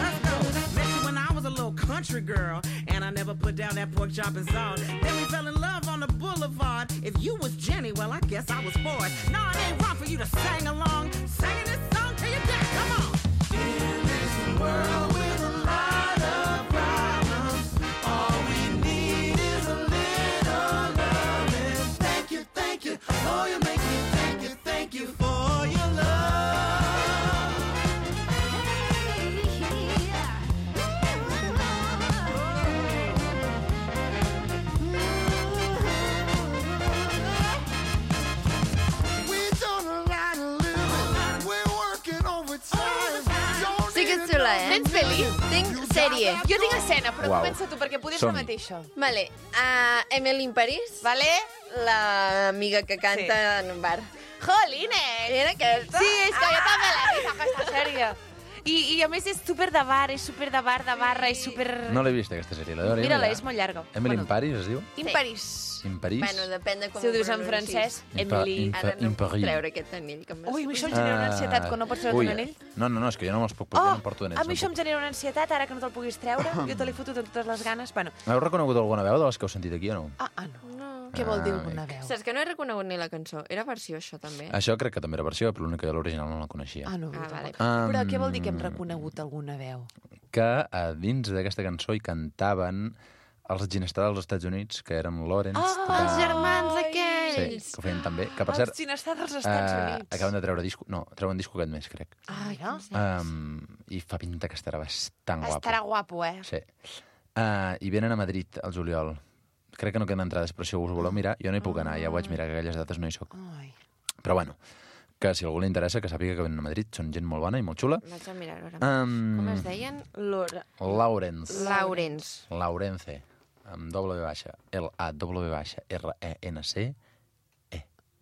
Let's go. Met you when I was a little country girl, and I never put down that pork chop and salt. Then we fell in love on the boulevard. If you was Jenny, well, I guess I was Ford. No, it ain't wrong for you to sing along. Singing this song till you die. Come on. In this world with a lot of problems, all we need is a little loving. Thank you, thank you. Oh, you make me thank you, thank you for your love. We done a lot of living, we're working overtime. Don't Sí que és xula, eh? Tens pel·li? Tinc sèrie. Jo tinc escena, però Uau. comença tu, perquè poder Som-hi. la mateixa. Vale, uh, Emily in Paris, Vale? l'amiga que canta Sí. en un bar. Jolines! Era aquesta? Sí, és que jo també l'he vist, aquesta sèrie. I, I a més és super de bar, és super de bar, de barra, és super... No l'he vist, aquesta sèrie. La veuré, Mira-la, ja. és molt llarga. Emily Bueno. in Paris, es diu? In Sí. Paris. In Paris? Bueno, depèn de com Si ho dius en pronuncis. francès, In pa- Emily... in- Ara no in em puc Paris. treure aquest anell que m'has... Ui, a mi això em genera una ansietat, quan no pots treure Ui, un anell. No, no, no, és que jo no me'ls puc posar, Oh, no em porto anells. a mi no això em puc. genera una ansietat, ara que no te'l puguis treure. Jo te l'he fotut amb totes les ganes. Bueno, Heu reconegut alguna veu de les que heu sentit aquí o no? ah, ah no. No. Què vol dir Ah, alguna amic. veu? Saps que no he reconegut ni la cançó? Era versió, això, també? Això crec que també era versió, però l'única que l'original no la coneixia. Ah, no, Ah, vale. Però Um, què vol dir que hem reconegut alguna veu? Que a dins d'aquesta cançó hi cantaven els ginestrals dels Estats Units, que eren Lawrence... Ah, Els de- germans Sí, aquells! que ho feien també. Que, per Els cert, ginestats dels Estats eh, Units. acaben de treure disco... No, treuen disco aquest mes, crec. Ah, ja? Um, I fa pinta que estarà bastant guapo. Estarà guapo, eh? Sí. Uh, I venen a Madrid, al juliol. Crec que no queden entrades, però si us voleu mirar, jo no hi puc anar, ja ho vaig mirar, que aquelles dates no hi soc. Ai. Però bueno, que si a algú li interessa, que sàpiga que venen a Madrid, són gent molt bona i molt xula. Vaig a mirar-ho ara. Um, Com es deien? Lora. Lawrence. Laurens. Laurence, amb doble baixa, L A W baixa, R E N C.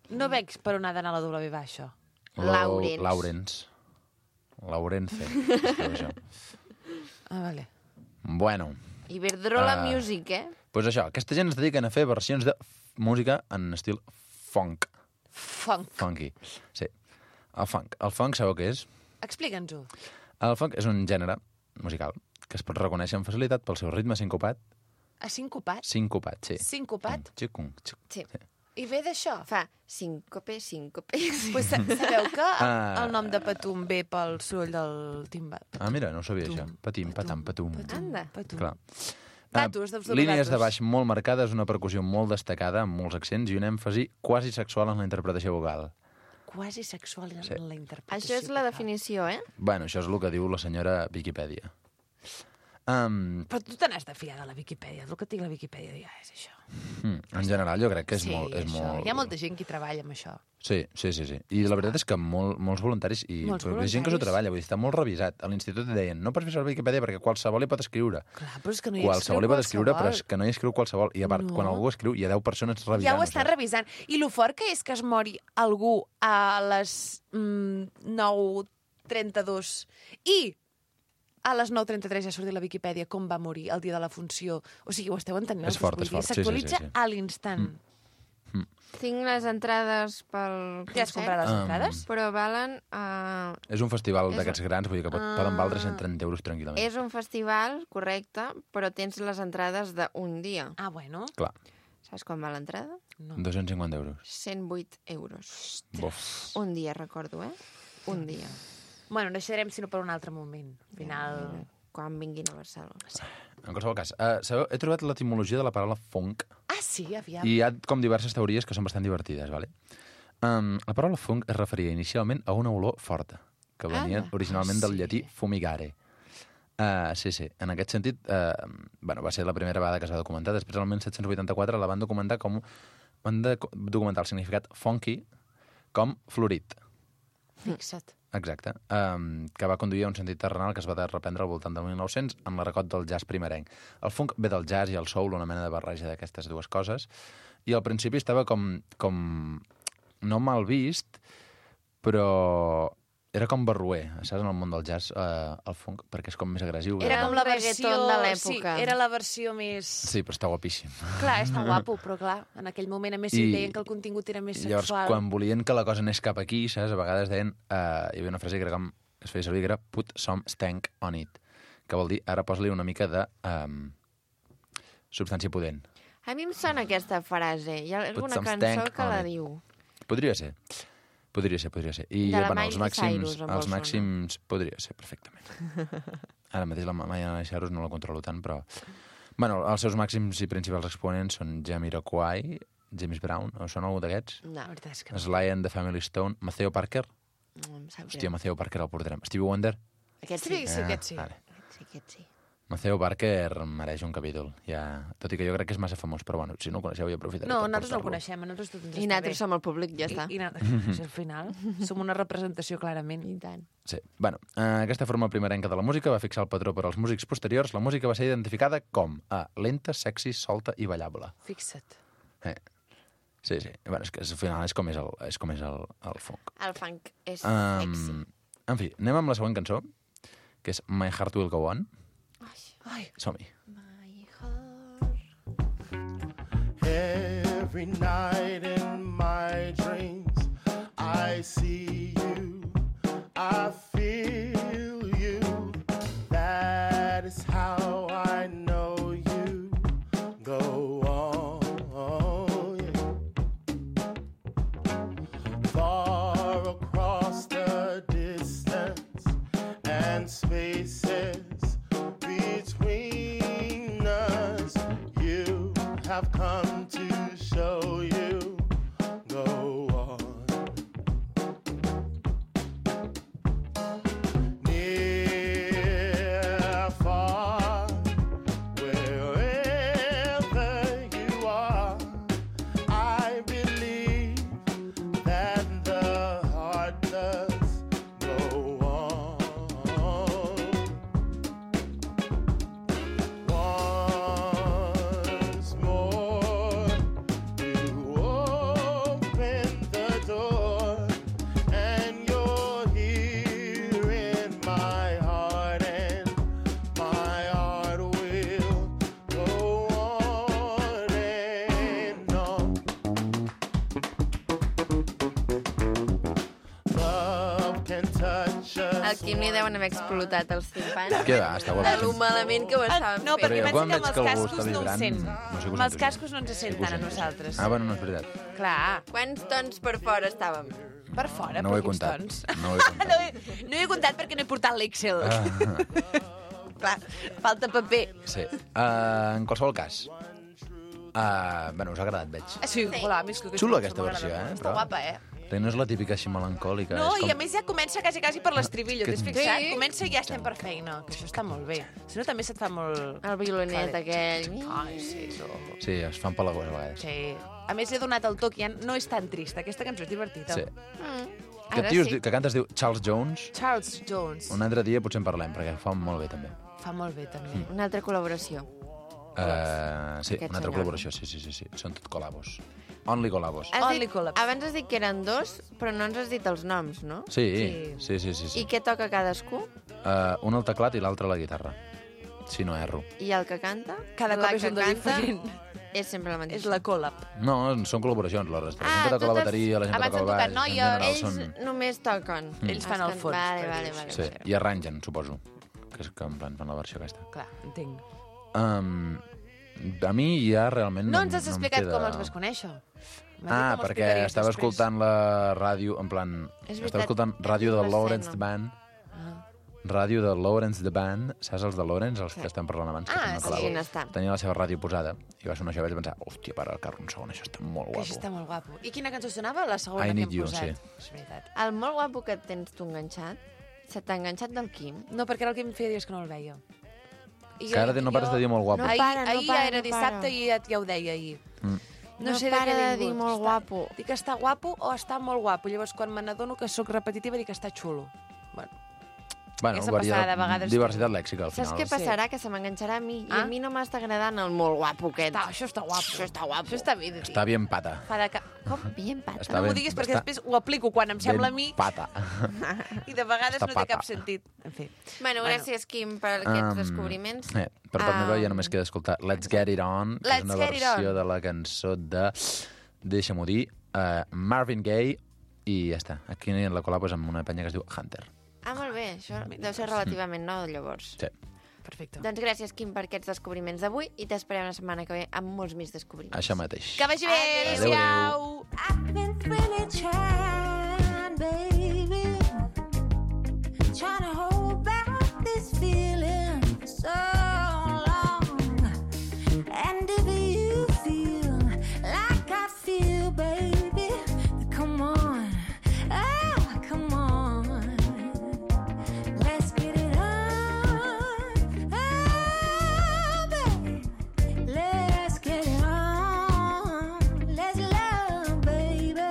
No veig per on ha d'anar la W baixa. Laurence. Laurence. Laurence. es diu això. Ah, vale. Bueno, Iberdrola Ah. Music, eh? doncs això, aquesta gent es dediquen a fer versions de f- música en estil funk. Funk. Funky. Sí. El funk. El funk sabeu què és? Explica'ns-ho. El funk és un gènere musical que es pot reconèixer amb facilitat pel seu ritme sincopat. A sincopat? Sincopat, sí. Sincopat? Xicung, xic. Sí. I ve d'això? Fa síncope, síncope... Pues sa- sabeu que Ah. el nom de Patum ve pel soroll del timbat? Ah, mira, no ho sabia, això. Patim, patam, patum. Anda. Patum. Clar. Datos, Ah, dels dos línies datos. de baix molt marcades, una percussió molt destacada, amb molts accents i un èmfasi quasi sexual en la interpretació vocal. Quasi sexual en Sí. la interpretació. Això és la que fa. definició, eh? Bueno, això és el que diu la senyora Viquipèdia. Um, Però tu te n'has de fiar de la Viquipèdia. El que et dic la Viquipèdia ja és això. mm, en general, jo crec que és sí, molt... És això. molt... Hi ha molta gent que treballa amb això. Sí, sí, sí, sí. I la veritat és que molt, molts voluntaris, i Molts però hi ha gent que s'ho voluntaris. treballa, vull dir, està molt revisat. A l'institut deien, no pots fer servir Viquipèdia perquè qualsevol hi pot escriure. Clar, però és que no hi Qualsevol hi pot escriure, però és que no hi escriu qualsevol. I a part, No. quan algú escriu, hi ha deu persones revisant. Ja ho estan revisant. I lo fort que és que es mori algú a les mm, nou trenta-dos i a les nou trenta-tres ja ha sortit la Viquipèdia com va morir el dia de la funció. O sigui, ho esteu entenent? És fort, és fort. Sí, sí, S'actualitza sí, sí. a l'instant. Mm. Tinc les entrades pel Ja has comprat les Um, entrades? però valen... Uh, És un festival És d'aquests grans, vull dir que pot, Ah. poden valdre cent trenta euros tranquil·lament. és un festival, correcte, però tens les entrades d'un dia. Ah, bueno. Clar, Saps quan va l'entrada? No. dos-cents cinquanta euros. cent vuit euros. Bof. Un dia, recordo, eh? Un dia. Bueno, deixarem, sinó per un altre moment. Al final... Quan vinguin a Barcelona. En qualsevol cas, uh, sabeu, he trobat l'etimologia de la paraula funk Ah, sí? Aviam. i hi ha com diverses teories que són bastant divertides, vale? Um, la paraula funk es referia inicialment a una olor forta, que venia Anda. originalment del Ah, sí. llatí fumigare. Uh, sí, sí. En aquest sentit, uh, bueno, va ser la primera vegada que es va documentar. Després, el disset vuitanta-quatre, la van documentar com... Van de documentar el significat funky com florit. Fixa't. Exacte. Um, que va conduir a un sentit terrenal que es va de reprendre al voltant del mil nou-cents amb l'arracot del jazz primerenc. El funk ve del jazz i el soul, una mena de barreja d'aquestes dues coses, i al principi estava com, com no mal vist, però era com barroer, saps, en el món del jazz, eh, el funk, perquè és com més agressiu. Era Era com un la reggaeton versió... de l'època. Sí, era la versió més... Sí, però està guapíssim. Clar, està guapo, però clar, en aquell moment a més si I- deien que el contingut era més Llavors, sexual. quan volien que la cosa anés cap aquí, saps, a vegades deien... Eh, hi havia una frase que era com, que es feia servir, que era put some stank on it, que vol dir, ara posa-li una mica de um, substància pudent. A mi em sona aquesta frase. Hi ha alguna some cançó stank que on la it. diu. Podria ser. Podria ser, podria ser. I De la bueno, Miley els màxims, Cyrus, em vol els sonar. màxims podria ser, perfectament. Ara mateix la Miley Cyrus no la controlo tant, però... Bueno, els seus màxims i principals exponents són Jamiroquai, James Brown, o són algú d'aquests? No, La veritat és que no. Sly and the Family Stone, Maceo Parker. no em sap Hòstia, greu. Maceo Parker el portarem. Stevie Wonder. Aquest Sí, sí. sí, aquest sí. Vale. Sí, aquest sí. Maceo Parker mereix un capítol, ja... tot i que jo crec que és massa famós, però bueno, si no el coneixeu jo aprofitaré No, per nosaltres no el portar-lo. coneixem, a nosaltres tot ens I està nosaltres bé. som el públic, ja està. I, i nosaltres, al final, som una representació clarament. I tant. Sí. Bueno, eh, aquesta forma primerenca de la música va fixar el patró per als músics posteriors. La música va ser identificada com a lenta, sexy, solta i ballable. Fixa't. Eh. Sí, sí. Bueno, és que al final és com és el, és com és el, el funk. El funk és sexy. Um, en fi, anem amb la següent cançó, que és My Heart Will Go On. Ai, Som-hi. My heart. Every night in my dreams, I see you, I feel you. That is how I know you. Go on, yeah. Far across the distance and spaces between us, you have come to show you. Go on. Al Quim li deuen haver explotat els timpans. Què va, està De guapíssim. lo malament que ho estaven No, fent. perquè jo pensa quan que amb veig els que algú cascos està no ho vibrant, sent. no sé que ho Amb els sento, cascos no ens se sent que ho tant a sento. nosaltres. Ah, bueno, no és veritat. Clar, Quants tons per fora estàvem? per fora, No ho per he quins comptat. tons. No ho he comptat. No he, no he comptat perquè no he portat l'Excel. Ah, Clar, falta paper. sí. Uh, en qualsevol cas. Uh, bueno, us ha agradat, veig. Ah, sí, hola, més que Xulo aquesta versió, eh? Està guapa, eh? Perquè no és la típica així melancòlica. No, és i com... a més ja comença quasi, quasi per l'estribillo, Que- t'has fixat? Sí. Comença i ja estem per feina, que això està molt bé. Si no, també se't fa molt... El violonet Claret. aquell. Ai, sí, no. Sí, es fan pelagós a vegades. Sí. A més, he donat el toc i ja no és tan trista. Aquesta cançó és divertida. Sí. Mm. Que, Ara tio, sí. que canta es diu Charles Jones. Charles Jones. Un altre dia potser en parlem, perquè fa molt bé, també. Fa molt bé, també. Una altra col·laboració. Uh, sí, Aquest una altra senyor. col·laboració, sí, sí, sí, sí. Són tot col·labos. Only col·labos. Has Only dit, collabs. abans has dit que eren dos, però no ens has dit els noms, no? Sí, sí, sí, sí. sí. I què toca cadascú? Uh, un al teclat i l'altre a la guitarra. Si no erro. I el que canta? Cada la cop és que un de canta diferent. És sempre la mateixa. És la collab. No, són col·laboracions. La resta. La Ah, gent que toca la totes- bateria, la gent que abans toca el han baix... tocat noies, en general Ells són... només toquen. Mm. Ells fan el Estan- fons. Vale, per vale, dir-ho vale. així. Sí, vale. i arrangen, suposo. Que és que en plan fan la versió aquesta. Clar, entenc. Um, a mi ja realment No no, ens has no em explicat queda... com els vas conèixer. M'has dit Ah, com els perquè explicaries estava després. escoltant la ràdio, en plan... És Estava veritat, escoltant ràdio és de una Lawrence escena. The Band. Ah. Ràdio de Lawrence The Band. Saps els de Lawrence, els que estem parlant abans? Que Ah, tenen sí. col·labo? Quin està. Tenia la seva ràdio posada i va sonar això i vaig pensar, hòstia, para el carro un segon, això està molt Que guapo. això està molt guapo. I quina cançó sonava? La segona I que Need hem You, posat. sí. És veritat. El molt guapo que tens tu enganxat, se t'ha enganxat del Quim? No, perquè era el que em feia dies que no el veia. I Que ara no pares de dir molt guapo. No ahir, para, no ahir para, ja era no dissabte para. i ja, ja ho deia ahir. Mm. No, No sé para de què de he dir vingut. molt Està- guapo. Dic que està guapo o està molt guapo. Llavors, quan me n'adono que sóc repetitiva, dic que està xulo. Bueno, Bueno, Aquesta varia- passada, de vegades diversitat lèxica, al Saps final. què passarà? Que se m'enganxarà a mi. I Ah? a mi no m'està agradant el molt guapo aquest. està, això està guapo. Això està guapo. Això està bé de dir. Està bien pata. Fa de ca... Com? Bien pata. Està no m'ho ben- diguis perquè està després ho aplico quan em sembla a ben mi pata. i de vegades Està no té pata. cap sentit. En fi. Bueno, Bueno. gràcies, Quim, per aquests Um, descobriments. Eh, per part meva ja Um, només queda escoltar Let's Get It On, que Let's és una Get It versió On. de la cançó de, deixa-m'ho dir, uh, Marvin Gaye, i ja està. Aquí la col·labo és amb una penya que es diu Hunter. Ah, molt bé. Això deu ser relativament nou, llavors. Sí, Perfecte. Doncs gràcies, Quim, per aquests descobriments d'avui i t'esperem la setmana que ve amb molts més descobriments. això mateix. Que vagi bé. Adéu, adéu. Adéu-siau. I've been really trying, baby, trying to hold back this feeling for so long. And if you feel like I feel, baby, then come on, oh, come on, let's get it on, oh, baby. Let's get it on. Let's love, baby.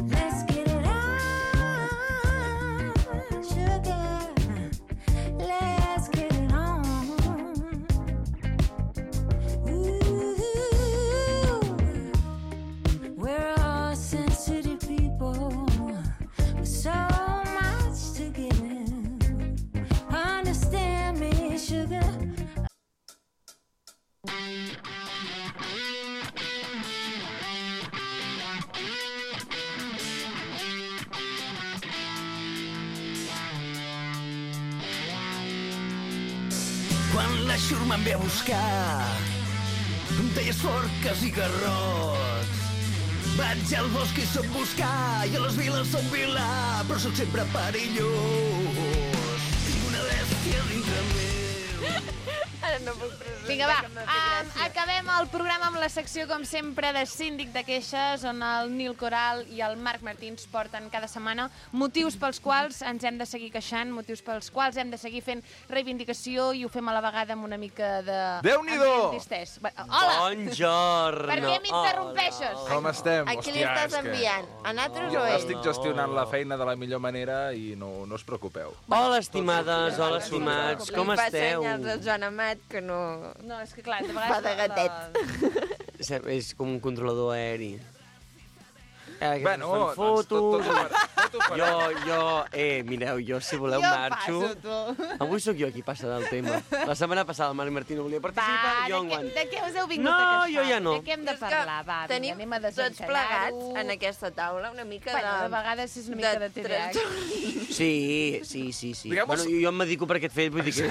Let's get it on, sugar. Let's get it on. Ooh, we're all sensitive people with so much to give. Understand me, sugar. Quan la xurma em ve a buscar, em deies forques i garrots. Vaig al bosc i soc buscar, i a les viles soc vilà, però sóc sempre perillós. Tinc una bèstia dintre meu. Ara no puc presentar. Vinga, va, que em fa um, gràcia. acabem el programa amb la secció, com sempre, de Síndic de Queixes, on el Nil Coral i el Marc Martí ens porten cada setmana motius pels quals ens hem de seguir queixant, motius pels quals hem de seguir fent reivindicació, i ho fem a la vegada amb una mica de... Déu-n'hi-do! ambient distès. Va, hola! Bonjorno. Per què m'interrompeixes? Com estem? A qui li Hòstia, estàs és que- enviant? A nosaltres Jo o ell? estic gestionant la feina de la millor manera i no, no us preocupeu. Hola, estimades, hola, estimats, com Li fa esteu? senyals al Joan Amat que no... No, és que clar, de Fa de vegades... gatet. És- És com un controlador aeri. Eh, que Bueno, fan doncs tot, tot, fotos... tot, t'ho faré. Jo, jo, eh, mireu, jo si voleu Jo marxo. passo, tu. Avui sóc jo qui passa del tema. La setmana passada el Marc Martí no volia participar, Va, jo de, què, enguany. de què us heu vingut No, a queixar? jo ja no. De què hem de És que parlar? Va, vinga, tenim anem a tots desencallar-ho. plegats en aquesta taula una mica Bueno, de... de vegades és una mica de T D A H. trastorn. Sí, sí, sí, sí. Diguem-ho- Bueno, jo, jo em dedico per aquest fet, vull dir que...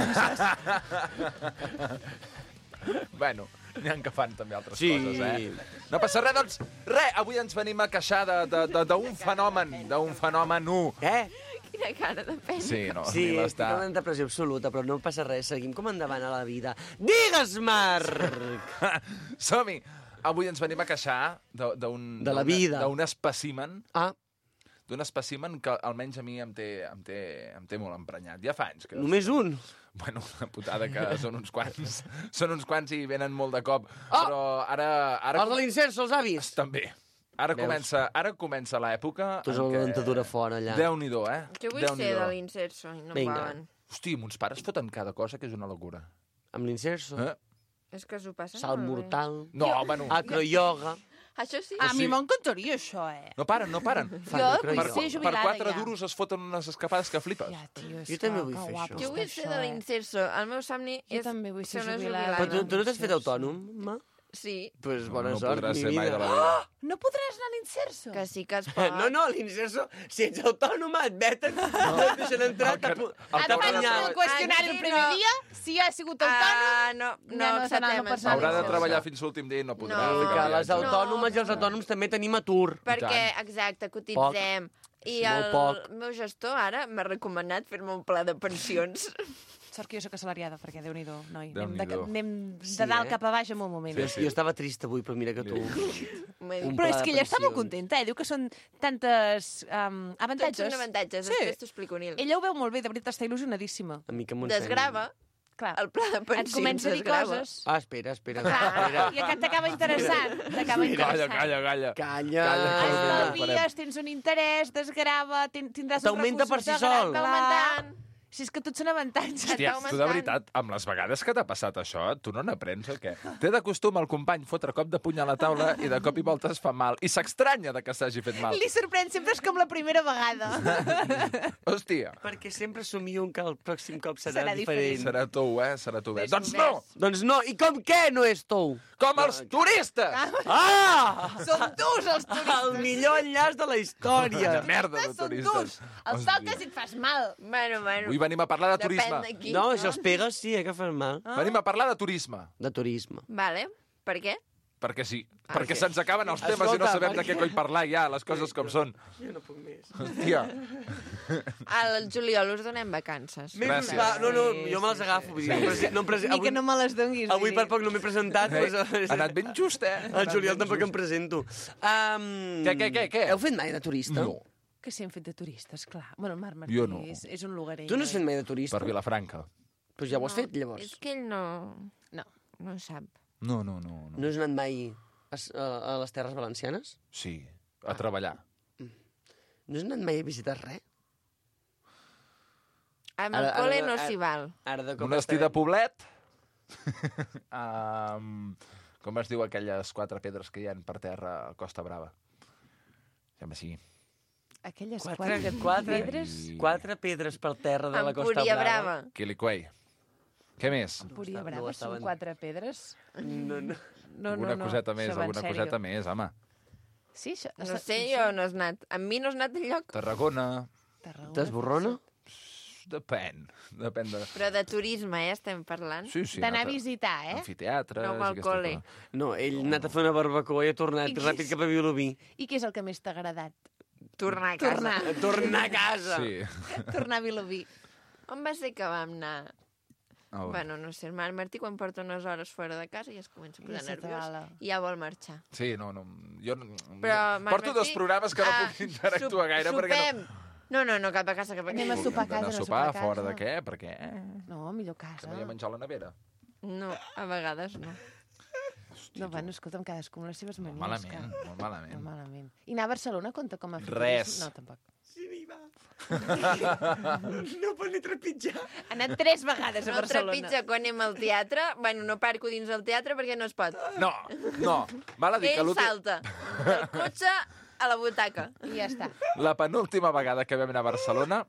Bueno, n'hi ha que fan també altres Sí. coses, eh? No passa res, doncs, res, avui ens venim a queixar de- de- de- d'un fenomen, d'un fenomen u. Eh? Quina cara de pena. Sí, no, Sí, ni estic l'està. en depressió absoluta, però no passa res, seguim com endavant a la vida. Digues, Marc! Som-hi! Avui ens venim a queixar de- d'un... De la d'una- vida. D'un espècimen. Ah. D'un espècimen que almenys a mi em té, em té, em té molt emprenyat. Ja fa anys que... Només un? Bueno, una putada que són uns quants. Són uns quants i venen molt de cop. Oh! Però ara... ara Els de l'inserso, els avis? També. Ara Veus? comença, ara comença l'època Tu en amb la què... dentadura fora, allà. Déu-n'hi-do, eh? Jo vull Déu-n'hi-do. ser de l'inserso i no Vinga. volen. Hosti, mons pares foten cada cosa que és una locura. Amb l'inserso? Eh? És que s'ho passen Salt molt bé. mortal. No, bueno. Acroyoga. Això sí. A mi m'encantaria això, eh? No paren, no paren. Fan Jo acroyoga. vull ser Per jubilada quatre ja. duros es foten unes escapades que flipes. Ja, tio, és Jo també que- vull que fer guapo això. Jo vull està ser això, de eh? l'inserso. El meu somni Jo és també vull ser una jubilada. Però tu, tu no t'has fet L'inserso. autònom, ma? Sí, Pues No, bona no sort, podràs mi ser mai vida. de la vida. No podràs anar a l'inserso? que sí que es pot. No, no, l'inserso, si ets autònoma, et veten, no et deixen entrar, t'apu- el Et que fan haurà de el qüestionari el Aquí primer no. dia, si ha sigut autònom, Ah, no, no, Ja no acceptem serà, no això. pots anar Haurà de L'inserso. treballar fins l'últim dia i no podrà No. fer que cap les viatge. autònomes i els autònoms també tenim atur. Perquè, exacte, cotitzem. I Molt el poc. meu gestor ara m'ha recomanat fer-me un pla de pensions. sort que jo soc assalariada, perquè Déu-n'hi-do, noi. Anem, Déu-n'hi-do. de, anem de Sí, dalt eh? cap a baix en un moment. Jo, jo estava trist avui, però mira que tu... Un Però pla és de que ella està molt pensions. contenta, eh? Diu que són tantes um, Tots avantatges. són avantatges, Sí. després t'ho explico, Nil. Ella ho veu molt bé, de veritat, està il·lusionadíssima. A mi que m'ho Desgrava Clar. el pla de Et pensions. comença a dir desgrava. coses. Ah, espera, espera. Clar, espera. i que t'acaba interessant. T'acaba Calla, interessant. calla, calla. Calla. Calla, que no ho farem. Estalvies, tens un interès, desgrava, ten, tindràs uns T'augmenta per recursos si de gran sol. clar. Va augmentant. Si és que tots són avantatges. Hòstia, va tu de augmentant. veritat, amb les vegades que t'ha passat això, tu no n'aprens o què? Té de costum el company fotre cop de puny a la taula i de cop i volta es fa mal. I s'estranya de que s'hagi fet mal. Li sorprèn, sempre és com la primera vegada. Hòstia. Perquè sempre somio que el pròxim cop serà, Serà diferent. diferent. Serà tou, eh? Serà tou. Ves, Doncs ves. no! Doncs no, i com què no és tou? Com els turistes! Ah! Són tus, els turistes. El millor enllaç de la història. De merda de Són turistes. tus. Els toques i et fas mal. Bueno, bueno. Avui venim a parlar de Depèn turisme. de qui. No, si els pegues sí, eh, que fas mal. Venim a parlar de turisme. De turisme. Vale, per què? Perquè sí. Ah, perquè sí. se'ns acaben els temes Escolta, i no sabem de perquè- què coi parlar ja, les coses com són. Jo no puc més. Hòstia. Al juliol us donem vacances. Gràcies. Va, no, no, jo me les agafo. Vull dir, no, em presi- no em presi- Ni avui, que no me les donguis. avui vull per dir. poc no m'he presentat. Eh? Doncs, Ha anat ben just, eh? el juliol tampoc em presento. Um, Què, què, què, què? Heu fet mai de turista? No, Que s'hi han fet de turistes, clar. Bueno, el Marc Martí Jo no. és, és un lugarer. Tu no has fet mai de turista? per Vilafranca. Doncs ja ho has No, fet, llavors. És que ell no... No. No sap. No, no, no. no. No has anat mai a, a, a les Terres Valencianes? Sí, a treballar. No has anat mai a visitar res? Amb Ara- el col·le ara- no ara- s'hi val. Ara de cop Monestir de estarem- Poblet. um, com es diu aquelles quatre pedres que hi ha per terra a Costa Brava? Sembla així. Aquelles Quatre, quatre, quatre, pedres... quatre pedres per terra de la Costa Empúria Brava. Brava. Quiliquei. Què més? Empúria No Brava, estaven- són quatre pedres? No, no. No, alguna no, no. coseta més, Això va en alguna sèrio. coseta més, home. Sí, això... No sé, jo no has anat. Amb mi no has anat enlloc. Tarragona. Tarragona. T'esborrona? Depèn. Depèn de... Però de turisme, eh, estem parlant. Sí, sí. D'anar a anat visitar, eh? Amfiteatres... No amb el i aquestes col·le. coses. No, ell ha anat a fer una barbacoa i ha tornat I què ràpid és? cap a Vilobí. I què és el que més t'ha agradat? Tornar a casa. Tornar. Tornar a casa. Sí. Tornar a Vilobí. On va ser que vam anar? Oh. Bueno, no sé, el Marc Martí quan porta unes hores fora de casa ja es comença a posar Ja se nerviós t'avala. i ja vol marxar. Sí, no, no. Jo no- Però, Marc porto Martí, dos programes que no ah, puc interactuar sup- gaire perquè sopem. No, no, no, cap a casa, cap a Anem a casa. sopar a no... casa, D'anar a no sopar, sopar a fora casa. de què? Per què? No, millor Que casa. no hi ha menjar a la nevera. No, a vegades no. No, bueno, escolta'm, cadascú amb les seves manies. Malament, que- molt malament. Molt malament. I anar a Barcelona compta com a fer Res. turisme? No, tampoc. Sí, n'hi va. No pot ni trepitjar. Ha anat tres vegades a No Barcelona. trepitja quan anem al teatre. Bueno, no parco dins el teatre perquè no es pot. No, no. Val a dir que Ell l'últim... salta del cotxe a la butaca. I ja està. La penúltima vegada que vam anar a Barcelona,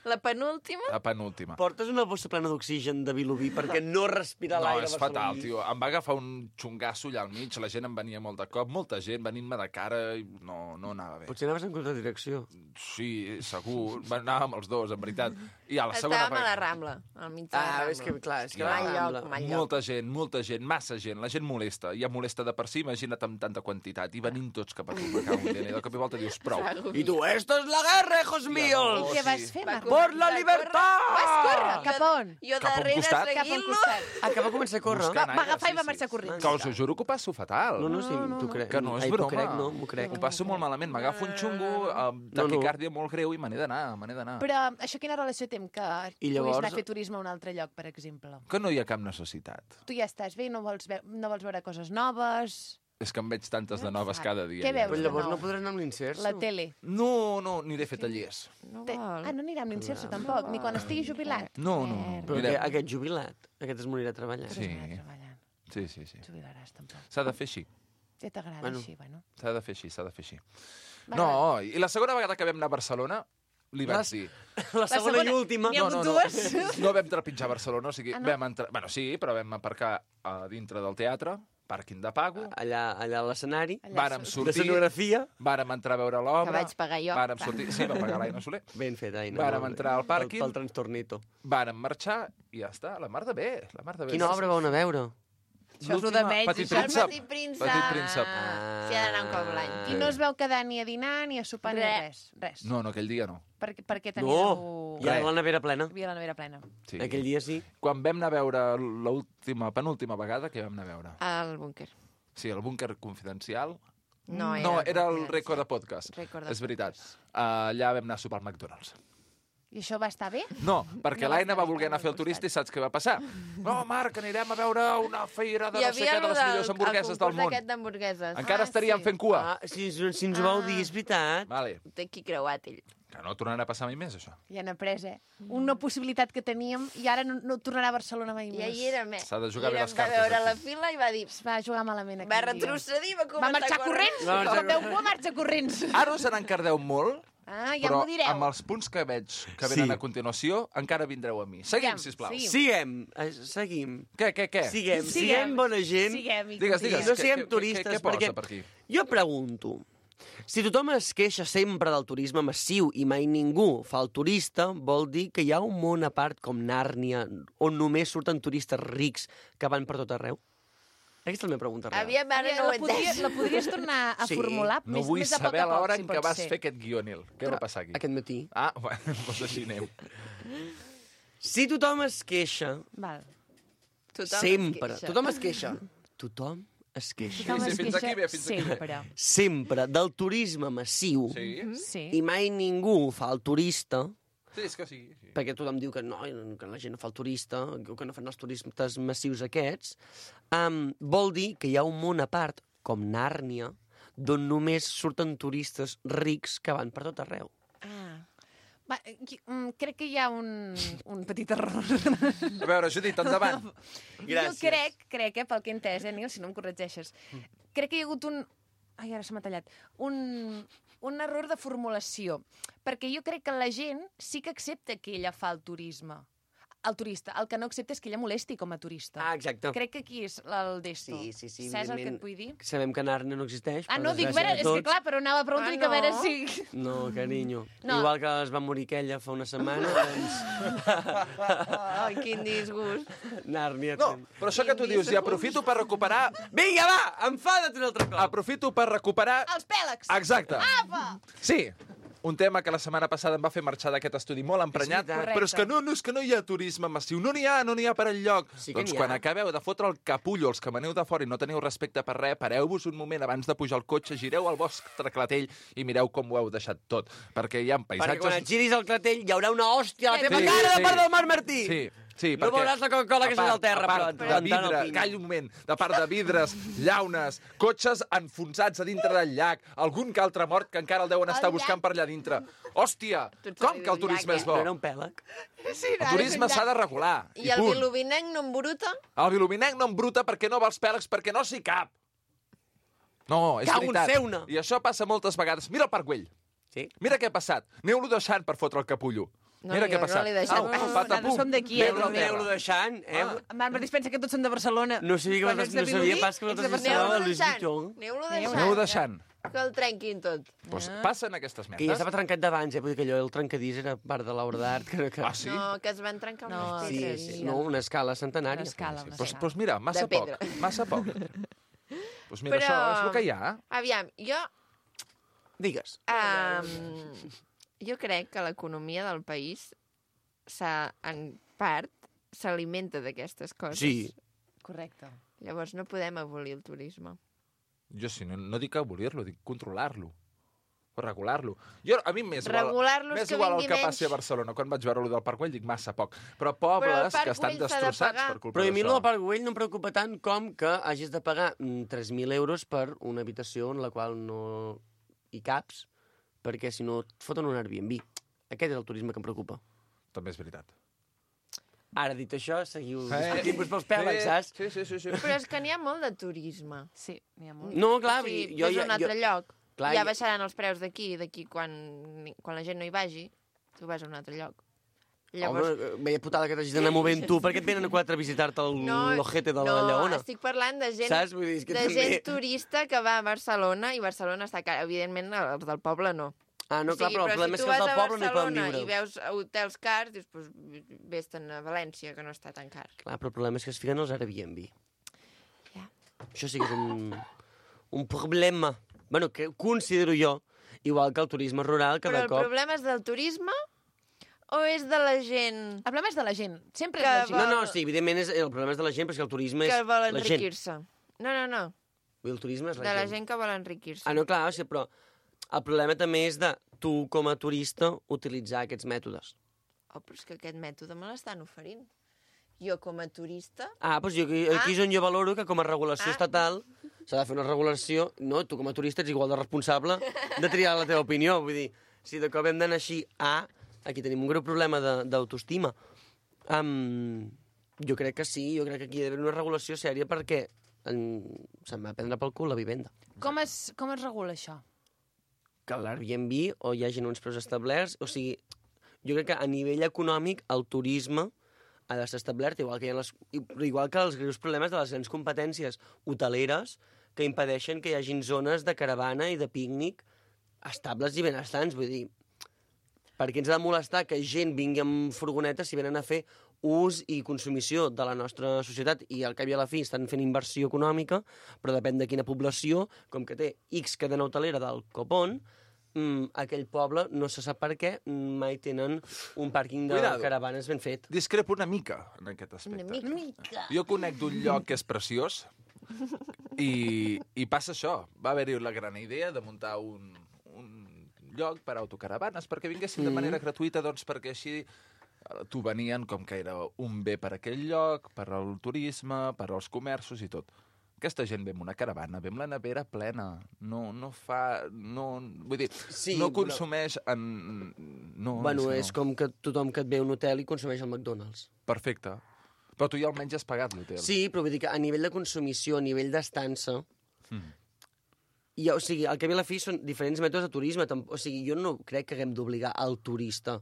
La penúltima... la penúltima. Portes una bossa plena d'oxigen de Vilobí perquè no respira No, l'aire és barceloní. fatal, tio. Em va agafar un xungasso allà al mig, la gent em venia molt de cop, molta gent venint-me de cara i no, no anava bé. Potser anaves en contradirecció. Sí, segur. Anàvem els dos, en veritat. I a la segona Estàvem a la Rambla, al mig de la Ah, Rambla. és que, clar, és que Ja. la Mal Rambla... lloc, mal lloc. Molta gent, molta gent, massa gent. La gent molesta. Ja molesta de per si, imagina't amb tanta quantitat. I venint tots cap a tu, me cago en Déu. I de cop i volta dius, prou. I tu, esto es la guerra, hijos míos! no, Què sí. vas fer, Marc? Por la libertad! Vas córrer! Cap a on? Jo Cap a un darrere costat? Cap a un seguint-lo. costat. Ah, que va començar a córrer. Buscant Va aire, agafar i va sí, marxar sí. corrents. Que us ho juro que ho passo fatal. No, no, sí, t'ho crec. Que no és Ai, broma. T'ho crec, no, m'ho crec. Ho passo molt malament. M'agafo un xungo amb No, no. taquicàrdia molt greu i me n'he d'anar, me n'he d'anar. Però això quina relació té amb que I puguis llavors- anar a fer turisme a un altre lloc, per exemple? Que no hi ha cap necessitat. Tu ja estàs bé, no vols, ve no vols veure coses noves... És que en veig tantes de noves cada dia. Què ja. veus? Però llavors de nou? no podràs anar amb l'inserso. La tele. No, no, aniré a fer tallers. No Té... vol. Ah, no anirà amb l'inserso, tampoc, ni quan estigui jubilat. No, no, no. Però Mireu. que, aquest jubilat, aquest es morirà treballant. Sí. Treballant. Sí, sí, sí. Jubilaràs, tampoc. S'ha de fer així. Ja t'agrada Bueno. així, bueno. S'ha de fer així, s'ha de fer així. Va, No, i la segona vegada que vam anar a Barcelona, li vaig Les- dir... La segona i última. N'hi ha hagut dues? No vam trepitjar Barcelona, o sigui, Ah, no? vam entrar... Bueno, sí, però vam aparcar a dintre del teatre, pàrquing de pago, Allà, allà a l'escenari. Allà vàrem so- De sortir, escenografia. vàrem entrar a veure l'obra... Que vaig pagar jo. Vàrem sortir... Sí, va pagar l'Aina Soler. Ben fet, Aina. Vàrem molt bé. entrar al pàrquing. Pel, pel trastornito. Vàrem marxar i ja està, la mar de bé, la mar de bé. Quina obra vau anar a veure? Això és lo de L'última, menys, Petit això és Príncep. Petit Príncep. Petit Príncep. Ah. S'hi ha d'anar un cop l'any. I no es veu quedar ni a dinar, ni a sopar, ni Res. res. Res. No, no, aquell dia no. Per, per què No, teníeu... hi ha la nevera plena. Hi havia la nevera plena. Sí. Aquell dia sí. Quan vam anar a veure l'última, penúltima vegada, que vam anar a veure? Al búnquer. Sí, el búnquer confidencial. No, era, No, era el búnquer. rècord de podcast. Rècord de És veritat. Uh, allà vam anar a sopar al McDonald's. I això va estar bé? No, perquè No va l'Aina estar va bé, voler anar a fer el turista i saps què va passar? No, Marc, anirem a veure una feira de Hi no sé havia què, de lo les del- millors hamburgueses el del concurs món. aquest d'hamburgueses. Encara estaríem fent cua. Ah, si, si ens ho vau dir, és veritat. Vale. Té qui creuat, ell. Que no tornarà a passar mai més, això. Ja han après, eh? Una possibilitat que teníem i ara no, no tornarà a Barcelona mai I més. ahir era més. S'ha de jugar bé les Va cartes, veure la aquí. fila i va dir... Es va jugar malament aquell Va dia. retrocedir, va Va començar marxar a córrer. corrents? Va marxar Com veu cua, marxa corrents. Ara us n'encardeu molt, Ah, ja però m'ho direu. amb els punts que veig que venen Sí. a continuació, encara vindreu a mi. Seguim, Aviam, sisplau. seguim. Siguem, eh, seguim. Què, què, què? Siguem, Siguem. siguem bona gent. Siguem. i- Digues, I digues. no què- siguem què- turistes, què, què posa perquè per aquí? jo pregunto, si tothom es queixa sempre del turisme massiu i mai ningú fa el turista, vol dir que hi ha un món a part com Nàrnia, on només surten turistes rics que van per tot arreu? Aquesta és la meva pregunta real. Aviam, ara Aviam, no ho la, he podria, entès. la podries tornar a Sí. formular No més, vull més a poc saber a a poc, l'hora si en pot què vas ser. fer aquest guionil. Què va passar aquí? Aquest matí. Ah, bueno, doncs així anem. Si tothom es queixa, Val. Tothom sempre, es queixa. tothom es queixa, tothom es queixa. Tothom sí, es fins queixa aquí bé, fins aquí bé. sempre. Sempre del turisme massiu Sí? Sí. i mai ningú fa el turista, Sí, és que sí. sí. perquè tothom diu que no, que la gent no fa el turista, que no fan els turistes massius aquests, um, vol dir que hi ha un món a part, com Nàrnia, d'on només surten turistes rics que van per tot arreu. Ah. Va, qui- mm, crec que hi ha un, un petit error. A veure, Judit, endavant. Gràcies. Jo crec, crec, eh, pel que he entès, eh, Nil, si no em corregeixes, crec que hi ha hagut un... Ai, ara se m'ha tallat. Un, un error de formulació. Perquè jo crec que la gent sí que accepta que ella fa el turisme. El turista. El que no accepta és que ella molesti com a turista. Ah, exacte. Crec que aquí és el desto. Sí, sí, sí, Saps el que evidentment. et vull dir? Sabem que Nàrnia no existeix, Ah, per no, dic, a desgràcia veure, de és que tots. clar, però anava a preguntar Ah, dic, a veure no? si... No, carinyo. No. Igual que es va morir aquella fa una setmana, doncs... Ai, quin disgust. Nàrnia... No, però això que tu dius, i aprofito per recuperar... Vinga, va, enfada't un altre cop. Aprofito per recuperar... Els pèlegs! Exacte. Apa! Sí, un tema que la setmana passada em va fer marxar d'aquest estudi molt emprenyat, És veritat. però és que no, no, és que no hi ha turisme massiu, no n'hi ha, no n'hi ha per enlloc. Sí que doncs n'hi ha. quan acabeu de fotre el capullo els que veneu de fora i no teniu respecte per res, pareu-vos un moment abans de pujar al cotxe, gireu al vostre clatell i mireu com ho heu deixat tot, perquè hi ha Perquè quan et paisatges... giris al clatell hi haurà una hòstia a la teva Sí, cara sí. de part del Marc Martí. Sí, sí, No perquè... veuràs la Coca-Cola que a és al terra, a part però de tant vidre, opino. calla un moment, de part de vidres, llaunes, cotxes enfonsats a dintre del llac, algun que altre mort que encara el deuen estar El buscant llac. per allà dintre. Hòstia, Tu ets com el que el llac, turisme eh? és bo? No era un pèlag? Sí, El turisme s'ha de regular, i, I el punt. vilovinenc no embruta? El vilovinenc no embruta perquè no va als pèlegs, perquè no s'hi cap. No, és Cago en veritat. feu-ne. I això passa moltes vegades. Mira el Parc Güell. Sí? Mira què ha passat. Aneu-lo deixant per fotre el capullo. No Mira li- què ha passat. no li deixem. Au, No, patapum. nosaltres som d'aquí, eh, Aneu-lo a també. terra. Aneu-lo deixant, eh? Ah, en Marc Martí pensa que tots són de Barcelona. No sabia, que Quan vosaltres, ets de no sabia Vilobí, pas que ets de vosaltres Barcelona. estàveu a Aneu-lo Louis deixant. Vuitton. Aneu-lo Aneu deixant. deixant. Que el trenquin tot. Pues passen aquestes Que ja merdes. estava trencat d'abans, eh? Vull dir que allò, el trencadís era part de l'obra d'art. Que, que... Ah, sí? No, que es van trencar No, unes Sí, pedres. sí, no, una escala centenària. Una escala, una Pues, escala. pues mira, massa De poc. pedra. Massa poc. Pues mira, Però- això és el que hi ha. Aviam, jo, Digues. um, jo crec que l'economia del país s'ha, en part, s'alimenta d'aquestes coses. Sí. Correcte. Llavors no podem abolir el turisme. Jo sí, no, no dic abolir-lo, dic controlar-lo. O regular-lo. Jo, a mi m'és igual, Regular-lo és m'és que igual el vingui que menys. passi a Barcelona. Quan vaig veure-lo del Parc Güell dic massa poc. Però Però el pobles Parc que estan Güell s'ha de destrossats pagar. per culpa Però a mi el d'això. del Parc Güell no em preocupa tant com que hagis de pagar mm, tres mil euros per una habitació en la qual no hi caps, perquè si no et foten un Airbnb. Aquest és el turisme que em preocupa. També és veritat. Ara, dit això, seguiu Eh, discutint-vos pels pèls, saps? Sí, sí, sí, sí. Però és que n'hi ha molt de turisme. Sí, n'hi ha molt. No, clar, o sigui, jo... ves a jo, un altre jo, lloc, clar, ja jo- baixaran els preus d'aquí, d'aquí quan, quan la gent no hi vagi, tu vas a un altre lloc. Llavors, Home, veia putada que t'hagis d'anar movent tu. Per què et venen a quatre a visitar-te el no, l'ojete de la no, Lleona? estic parlant de gent, Saps? Vull dir, és que de també- gent turista que va a Barcelona i Barcelona està car. Evidentment, els del poble no. Ah, no, O clar, sigui, però el problema si és tu que els vas del a poble no hi poden Barcelona viure. i veus hotels cars, dius, pues, vés-te'n a València, que no està tan car. Clar, però el problema és que es fiquen els Airbnb. Ja. Això sí que és un, un problema. Bueno, que considero jo, igual que el turisme rural, Però cada el cop... problema és del turisme o és de la gent El problema és de la gent. Sempre Que és la gent. No, no, sí, evidentment és, el problema és de la gent, perquè el turisme és que vol la gent. enriquir-se? No, no, no. Vull dir, el turisme és la De la gent. gent que vol enriquir-se. Ah, no, clar, o sigui, però el problema també és de tu, com a turista, utilitzar aquests mètodes. Oh, però és que aquest mètode me l'estan oferint. Jo, com a turista... Ah, doncs jo, aquí, aquí és on jo valoro que com a regulació Ah. estatal s'ha de fer una regulació... No, tu com a turista ets igual de responsable de triar la teva opinió. Vull dir, si de cop hem d'anar així a... Aquí tenim un greu problema de- d'autoestima. Um, jo crec que sí, jo crec que aquí hi ha d'haver una regulació sèria perquè en, se'n va prendre pel cul la vivenda. Com es, com es regula això? Que a l'Airbnb o hi hagin uns preus establerts, o sigui, jo crec que a nivell econòmic el turisme ha de ser establert, igual que, hi ha les, igual que els greus problemes de les grans competències hoteleres que impedeixen que hi hagin zones de caravana i de pícnic estables i benestants. Vull dir, per què ens ha de molestar que gent vingui amb furgonetes si venen a fer ús i consumició de la nostra societat i al cap i a la fi estan fent inversió econòmica, però depèn de quina població, com que té X cadena hotelera del copón, mm, aquell poble, no se sap per què, mai tenen un pàrquing de Cuidado. caravanes ben fet. Discrepo una mica en aquest aspecte. Una mica. Jo conec d'un lloc que és preciós i, i passa això. Va haver-hi la gran idea de muntar un, un lloc per autocaravanes perquè vinguessin de Mhm. manera gratuïta, doncs perquè així eh, t'ho venien com que era un bé per aquell lloc, per al turisme, per als comerços i tot. Aquesta gent ve amb una caravana, ve amb la nevera plena, no, no fa... No, vull dir, Sí, no però- consumeix en... No, bueno, que és no. com que tothom que et ve a un hotel i consumeix al McDonald's. Perfecte. Però tu ja almenys has pagat l'hotel. Sí, però vull dir que a nivell de consumició, a nivell d'estança, Mm. i, o sigui, al cap i a la fi són diferents mètodes de turisme. Tamp- O sigui, jo no crec que haguem d'obligar el turista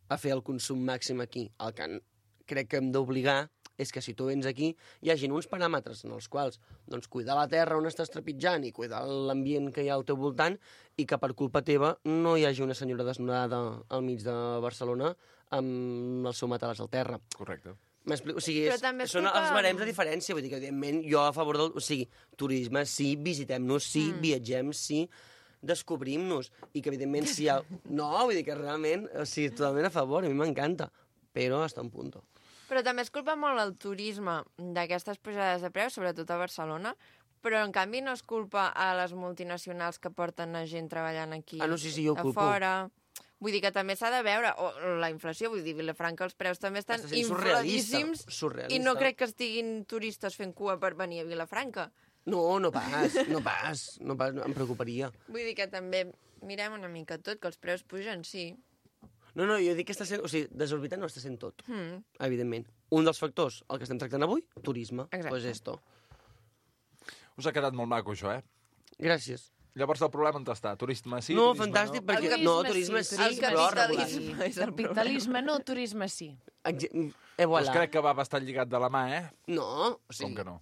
a fer el consum màxim aquí. El que n- crec que hem d'obligar és que si tu vens aquí hi hagin uns paràmetres en els quals doncs, cuidar la terra on estàs trepitjant i cuidar l'ambient que hi ha al teu voltant i que per culpa teva no hi hagi una senyora desnudada al mig de Barcelona amb el seu matalàs al terra. Correcte. M'explico? O sigui, Però és, també és són culpa- els barems de diferència. Vull dir que, evidentment, jo a favor del... O sigui, turisme, sí, visitem-nos, sí, mm. viatgem, sí, descobrim-nos. I que, evidentment, si hi ha... No, vull dir que realment, o sigui, totalment a favor, a mi m'encanta. Però hasta un punt. Però també es culpa molt el turisme d'aquestes pujades de preus, sobretot a Barcelona, però en canvi no es culpa a les multinacionals que porten a gent treballant aquí Ah, no, sí, sí, jo ho a culpo. fora. Vull dir que també s'ha de veure, o la inflació, vull dir, Vilafranca, els preus també estan Està sent surrealista, infladíssims surrealista. i no crec que estiguin turistes fent cua per venir a Vilafranca. No, no pas, no pas, no pas, em preocuparia. Vull dir que també mirem una mica tot, que els preus pugen, sí. No, no, jo dic que està sent... O sigui, desorbitant no està sent tot, Mm. evidentment. Un dels factors, el que estem tractant avui, turisme. Exacte. Pues esto. Us ha quedat molt maco, això, eh? Gràcies. Llavors el problema on està? Turisme sí, No, turisme fantàstic, no? perquè... No, turisme sí, turisme però sí. regular. Capitalisme no, turisme sí. Exe- Eh, Doncs voilà. crec que va bastant lligat de la mà, eh? No, o sigui, Com que no?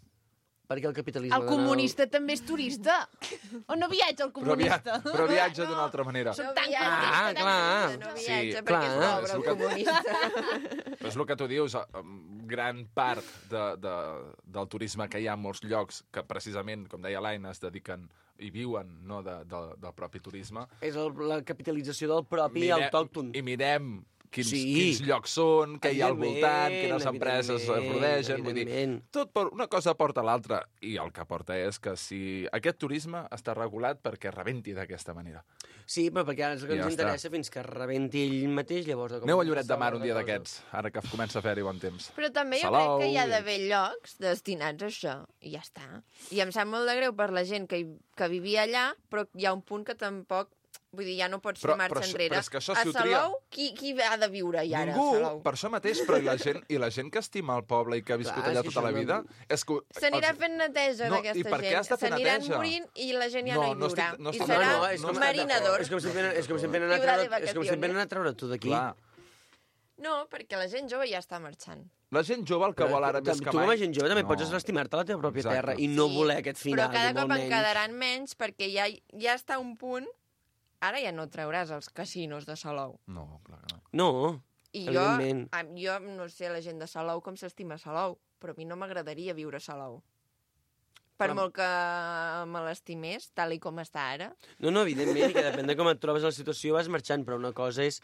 perquè el capitalisme... El comunista també és turista. O no viatja el Però, via comunista? però viatja d'una altra manera. Som tan Ah, clar. No Sí, viatja clar. perquè és pobre, És el el que- comunista. Però és el que tu dius, eh, gran part de, de, del turisme que hi ha en molts llocs, que precisament, com deia l'Aina, es dediquen i viuen no, de, de, del propi turisme. És el, la capitalització del propi Mirem- autòcton. I mirem quins, Sí. quins llocs són, què hi ha al voltant, Evidentment, quines empreses es evidentment, rodegen. Vull dir, evidentment. tot per una cosa porta a l'altra. I el que porta és que si aquest turisme està regulat perquè rebenti d'aquesta manera. Sí, però perquè ara és el que Ja ens està. interessa fins que rebenti ell mateix, llavors... Aneu a Lloret de Mar un dia d'aquests, ara que comença a fer-hi bon temps. Però també jo Salou, crec que hi ha i- d'haver llocs destinats a això, i ja està. I em sap molt de greu per la gent que, hi, que vivia allà, però hi ha un punt que tampoc... Vull dir, ja no pots fer Però- marxa però això- enrere. però és que això a si ho tria- Salou, qui, qui ha de viure-hi ara, Ningú, a Salou? per això mateix, però i la gent, i la gent que estima el poble i que ha viscut Clar, és allà que tota això la no- vida... És que, S'anirà els- fent neteja No, i d'aquesta per què gent. has de fer S'aniran neteja? morint i la gent ja No, no, hi no viurà. estic- no I estic serà d'acord. és com, marinador. és com si em venen, és com si em venen a Ciudad de treure, és com si em venen a treure tu d'aquí. Clar. No, perquè la gent jove ja està marxant. La gent jove el que vol ara més tu, que tu com a mai... gent jove també No. pots estimar-te la teva pròpia Exacte. terra i no Sí, voler aquest final. Però cada i cop molt en menys. quedaran menys perquè ja, ja està un punt... Ara ja no trauràs els casinos de Salou. No, clar que no. No, I jo, evidentment. a- jo no sé la gent de Salou com s'estima Salou, però a mi no m'agradaria viure a Salou. Per Clar. molt que me l'estimés, tal i com està ara. No, no, evidentment, i que depèn de com et trobes a la situació vas marxant, però una cosa és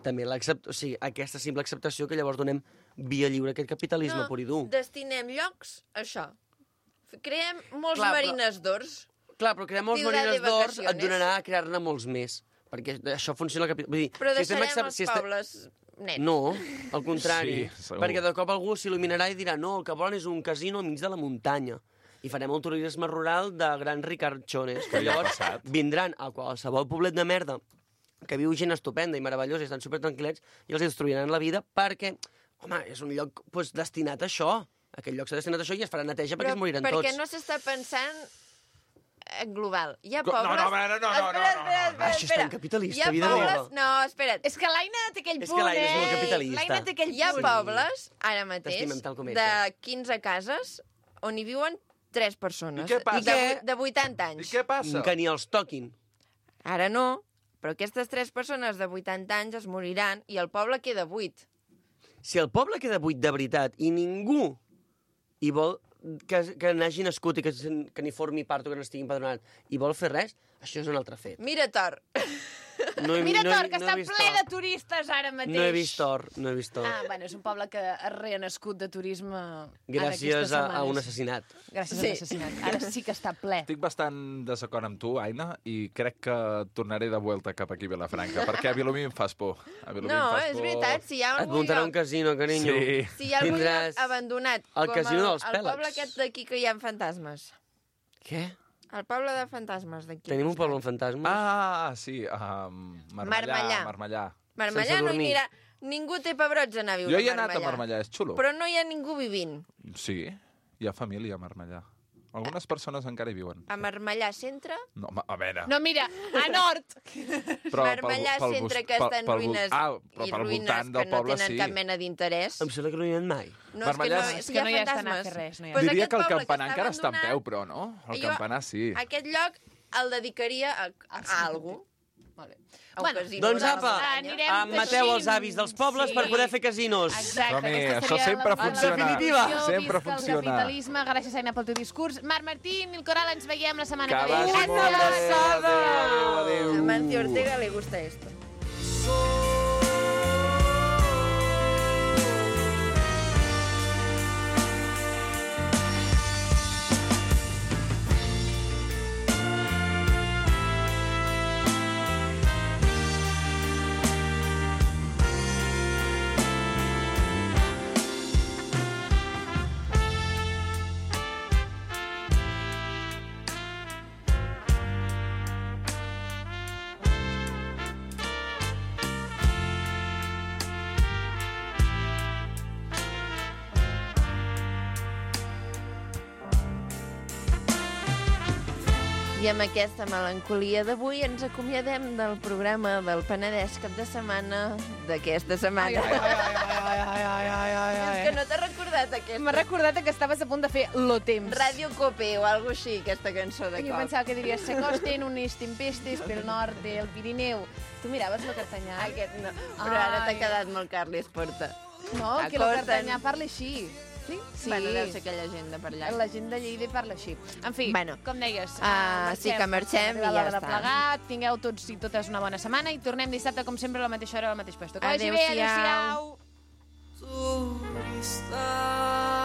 també l'accept... o sigui, aquesta simple acceptació que llavors donem via lliure a aquest capitalisme no, pur i dur. destinem llocs a això. F- Creem molts Clar, però- marines d'ors. Clar, però crear molts Ciudad de marines d'ors et vacaciones. donarà a crear-ne molts més, perquè això funciona al capital. Vull dir, Però si estem deixarem accept- els si estem- pobles nets. No, al contrari, Sí, segur. perquè de cop algú s'il·luminarà i dirà no, el que volen és un casino al mig de la muntanya. I farem un turisme rural de grans ricarchones. Que ja ha llavors passat. vindran a qualsevol poblet de merda que viu gent estupenda i meravellosa i estan supertranquil·lets i els destruiran la vida perquè, home, és un lloc pues, destinat a això. Aquest lloc s'ha destinat a això i es farà neteja perquè es moriran perquè tots. no s'està pensant en global. Hi ha Co- no, pobles... no, a veure, no, no, no, espera, no, no, espera, no. espera, Això és espera. tan capitalista, Hi ha vida pobles... meva. No, espera't. És que l'Aina té aquell És punt, que l'Aina és molt eh? capitalista. L'Aina té aquell Hi ha punt. pobles, ara mateix, T'estimem tal com ets, de quinze cases on hi viuen tres persones. I què passa? De, I què? vu- de vuitanta I anys. què passa? Que ni els toquin. Ara no, però aquestes tres persones de vuitanta anys es moriran i el poble queda buit. Si el poble queda buit de veritat i ningú hi vol que, que n'hagi nascut i que, se'n- que n'hi formi part o que n'estigui empadronat i vol fer res, això és un altre fet. Mira, Tor. No he, Mira, no he- Tor, que no he està vist ple Tor. de turistes ara mateix. No he vist Tor, no he vist Tor. Ah, bueno, és un poble que ha renascut de turisme ara Gràcies aquestes a, a setmanes. un assassinat. Gràcies Sí. a l'assassinat. Ara sí que està ple. Estic bastant desacord amb tu, Aina, i crec que tornaré de vuelta cap aquí a Vilafranca, perquè a Vilomí em fas por. A Vilomí No, em fas és por. veritat, si hi ha Et algun muntarà un lloc... casino, carinyo. Sí. Si hi ha algun Tindràs lloc abandonat, el com casino el, dels el pèl·leks. poble aquest d'aquí que hi ha fantasmes. Què? El poble de fantasmes d'aquí. Tenim un poble amb fantasmes? Ah, sí, um, Marmellà. Marmellà. Marmellà. Marmellà sense no hi dormir. anirà. Ningú té pebrots a anar a viure Jo hi he a anat a Marmellà. Marmellà, és xulo. Però no hi ha ningú vivint. Sí, hi ha família a Marmellà. Algunes persones encara hi viuen. A Marmellà Centre, No, ma- a veure... No, mira, a nord. Però Marmellà pel- pel Centre bus- que pel- està en pel bus- ruïnes ah, però i pel ruïnes voltant que del no poble tenen sí. cap mena d'interès. Em sembla que no hi ha mai. No, Marmellà és que no, és és que que no hi hi ha ha estat a fantasmes. fer res, no hi ha Pues Diria aquest que el poble campanar està encara està en abandonat, peu, però no? El jo- campanar sí. Aquest lloc el dedicaria a, a, a algú. Vale. A un Bueno, casino Doncs de la apa, muntanya. anirem em mateu els teixint. avis dels pobles Sí. per poder fer casinos. Exacte, Som-hi, aquesta això seria sempre la funciona. definitiva. Sempre Visca funciona. el capitalisme, gràcies, Aina, pel teu discurs. Marc Martín, Nil Coral, ens veiem la setmana Que que ve. vagi molt bé. Adéu, adéu. A Mancio Ortega le gusta esto. I amb aquesta melancolia d'avui ens acomiadem del programa del Penedès cap de setmana d'aquesta setmana. Ai, ai, ai, ai, ai, ai, ai, ai, ai. És que no t'ha recordat aquest? M'ha recordat que estaves a punt de fer Lo Temps. Ràdio Cope o alguna així, aquesta cançó de Jo cop. pensava que diries se costen unes tempestes pel nord del Pirineu. Tu miraves lo Cartanyà? Aquest no, però ara t'ha quedat molt Carles Porta. No, que lo Cartanyà parla així. Sí? Sí. Bueno, deu ser aquella gent de per allà. La gent de Lleida parla així. En fi, Bueno. com deies, Ah, sí que marxem i arriba ja l'hora de està. plegar. Tingueu tots i totes una bona setmana i tornem dissabte, com sempre, a la mateixa hora, al mateix lloc. Que vagi bé, Adéu-siau. adéu-siau. Turista.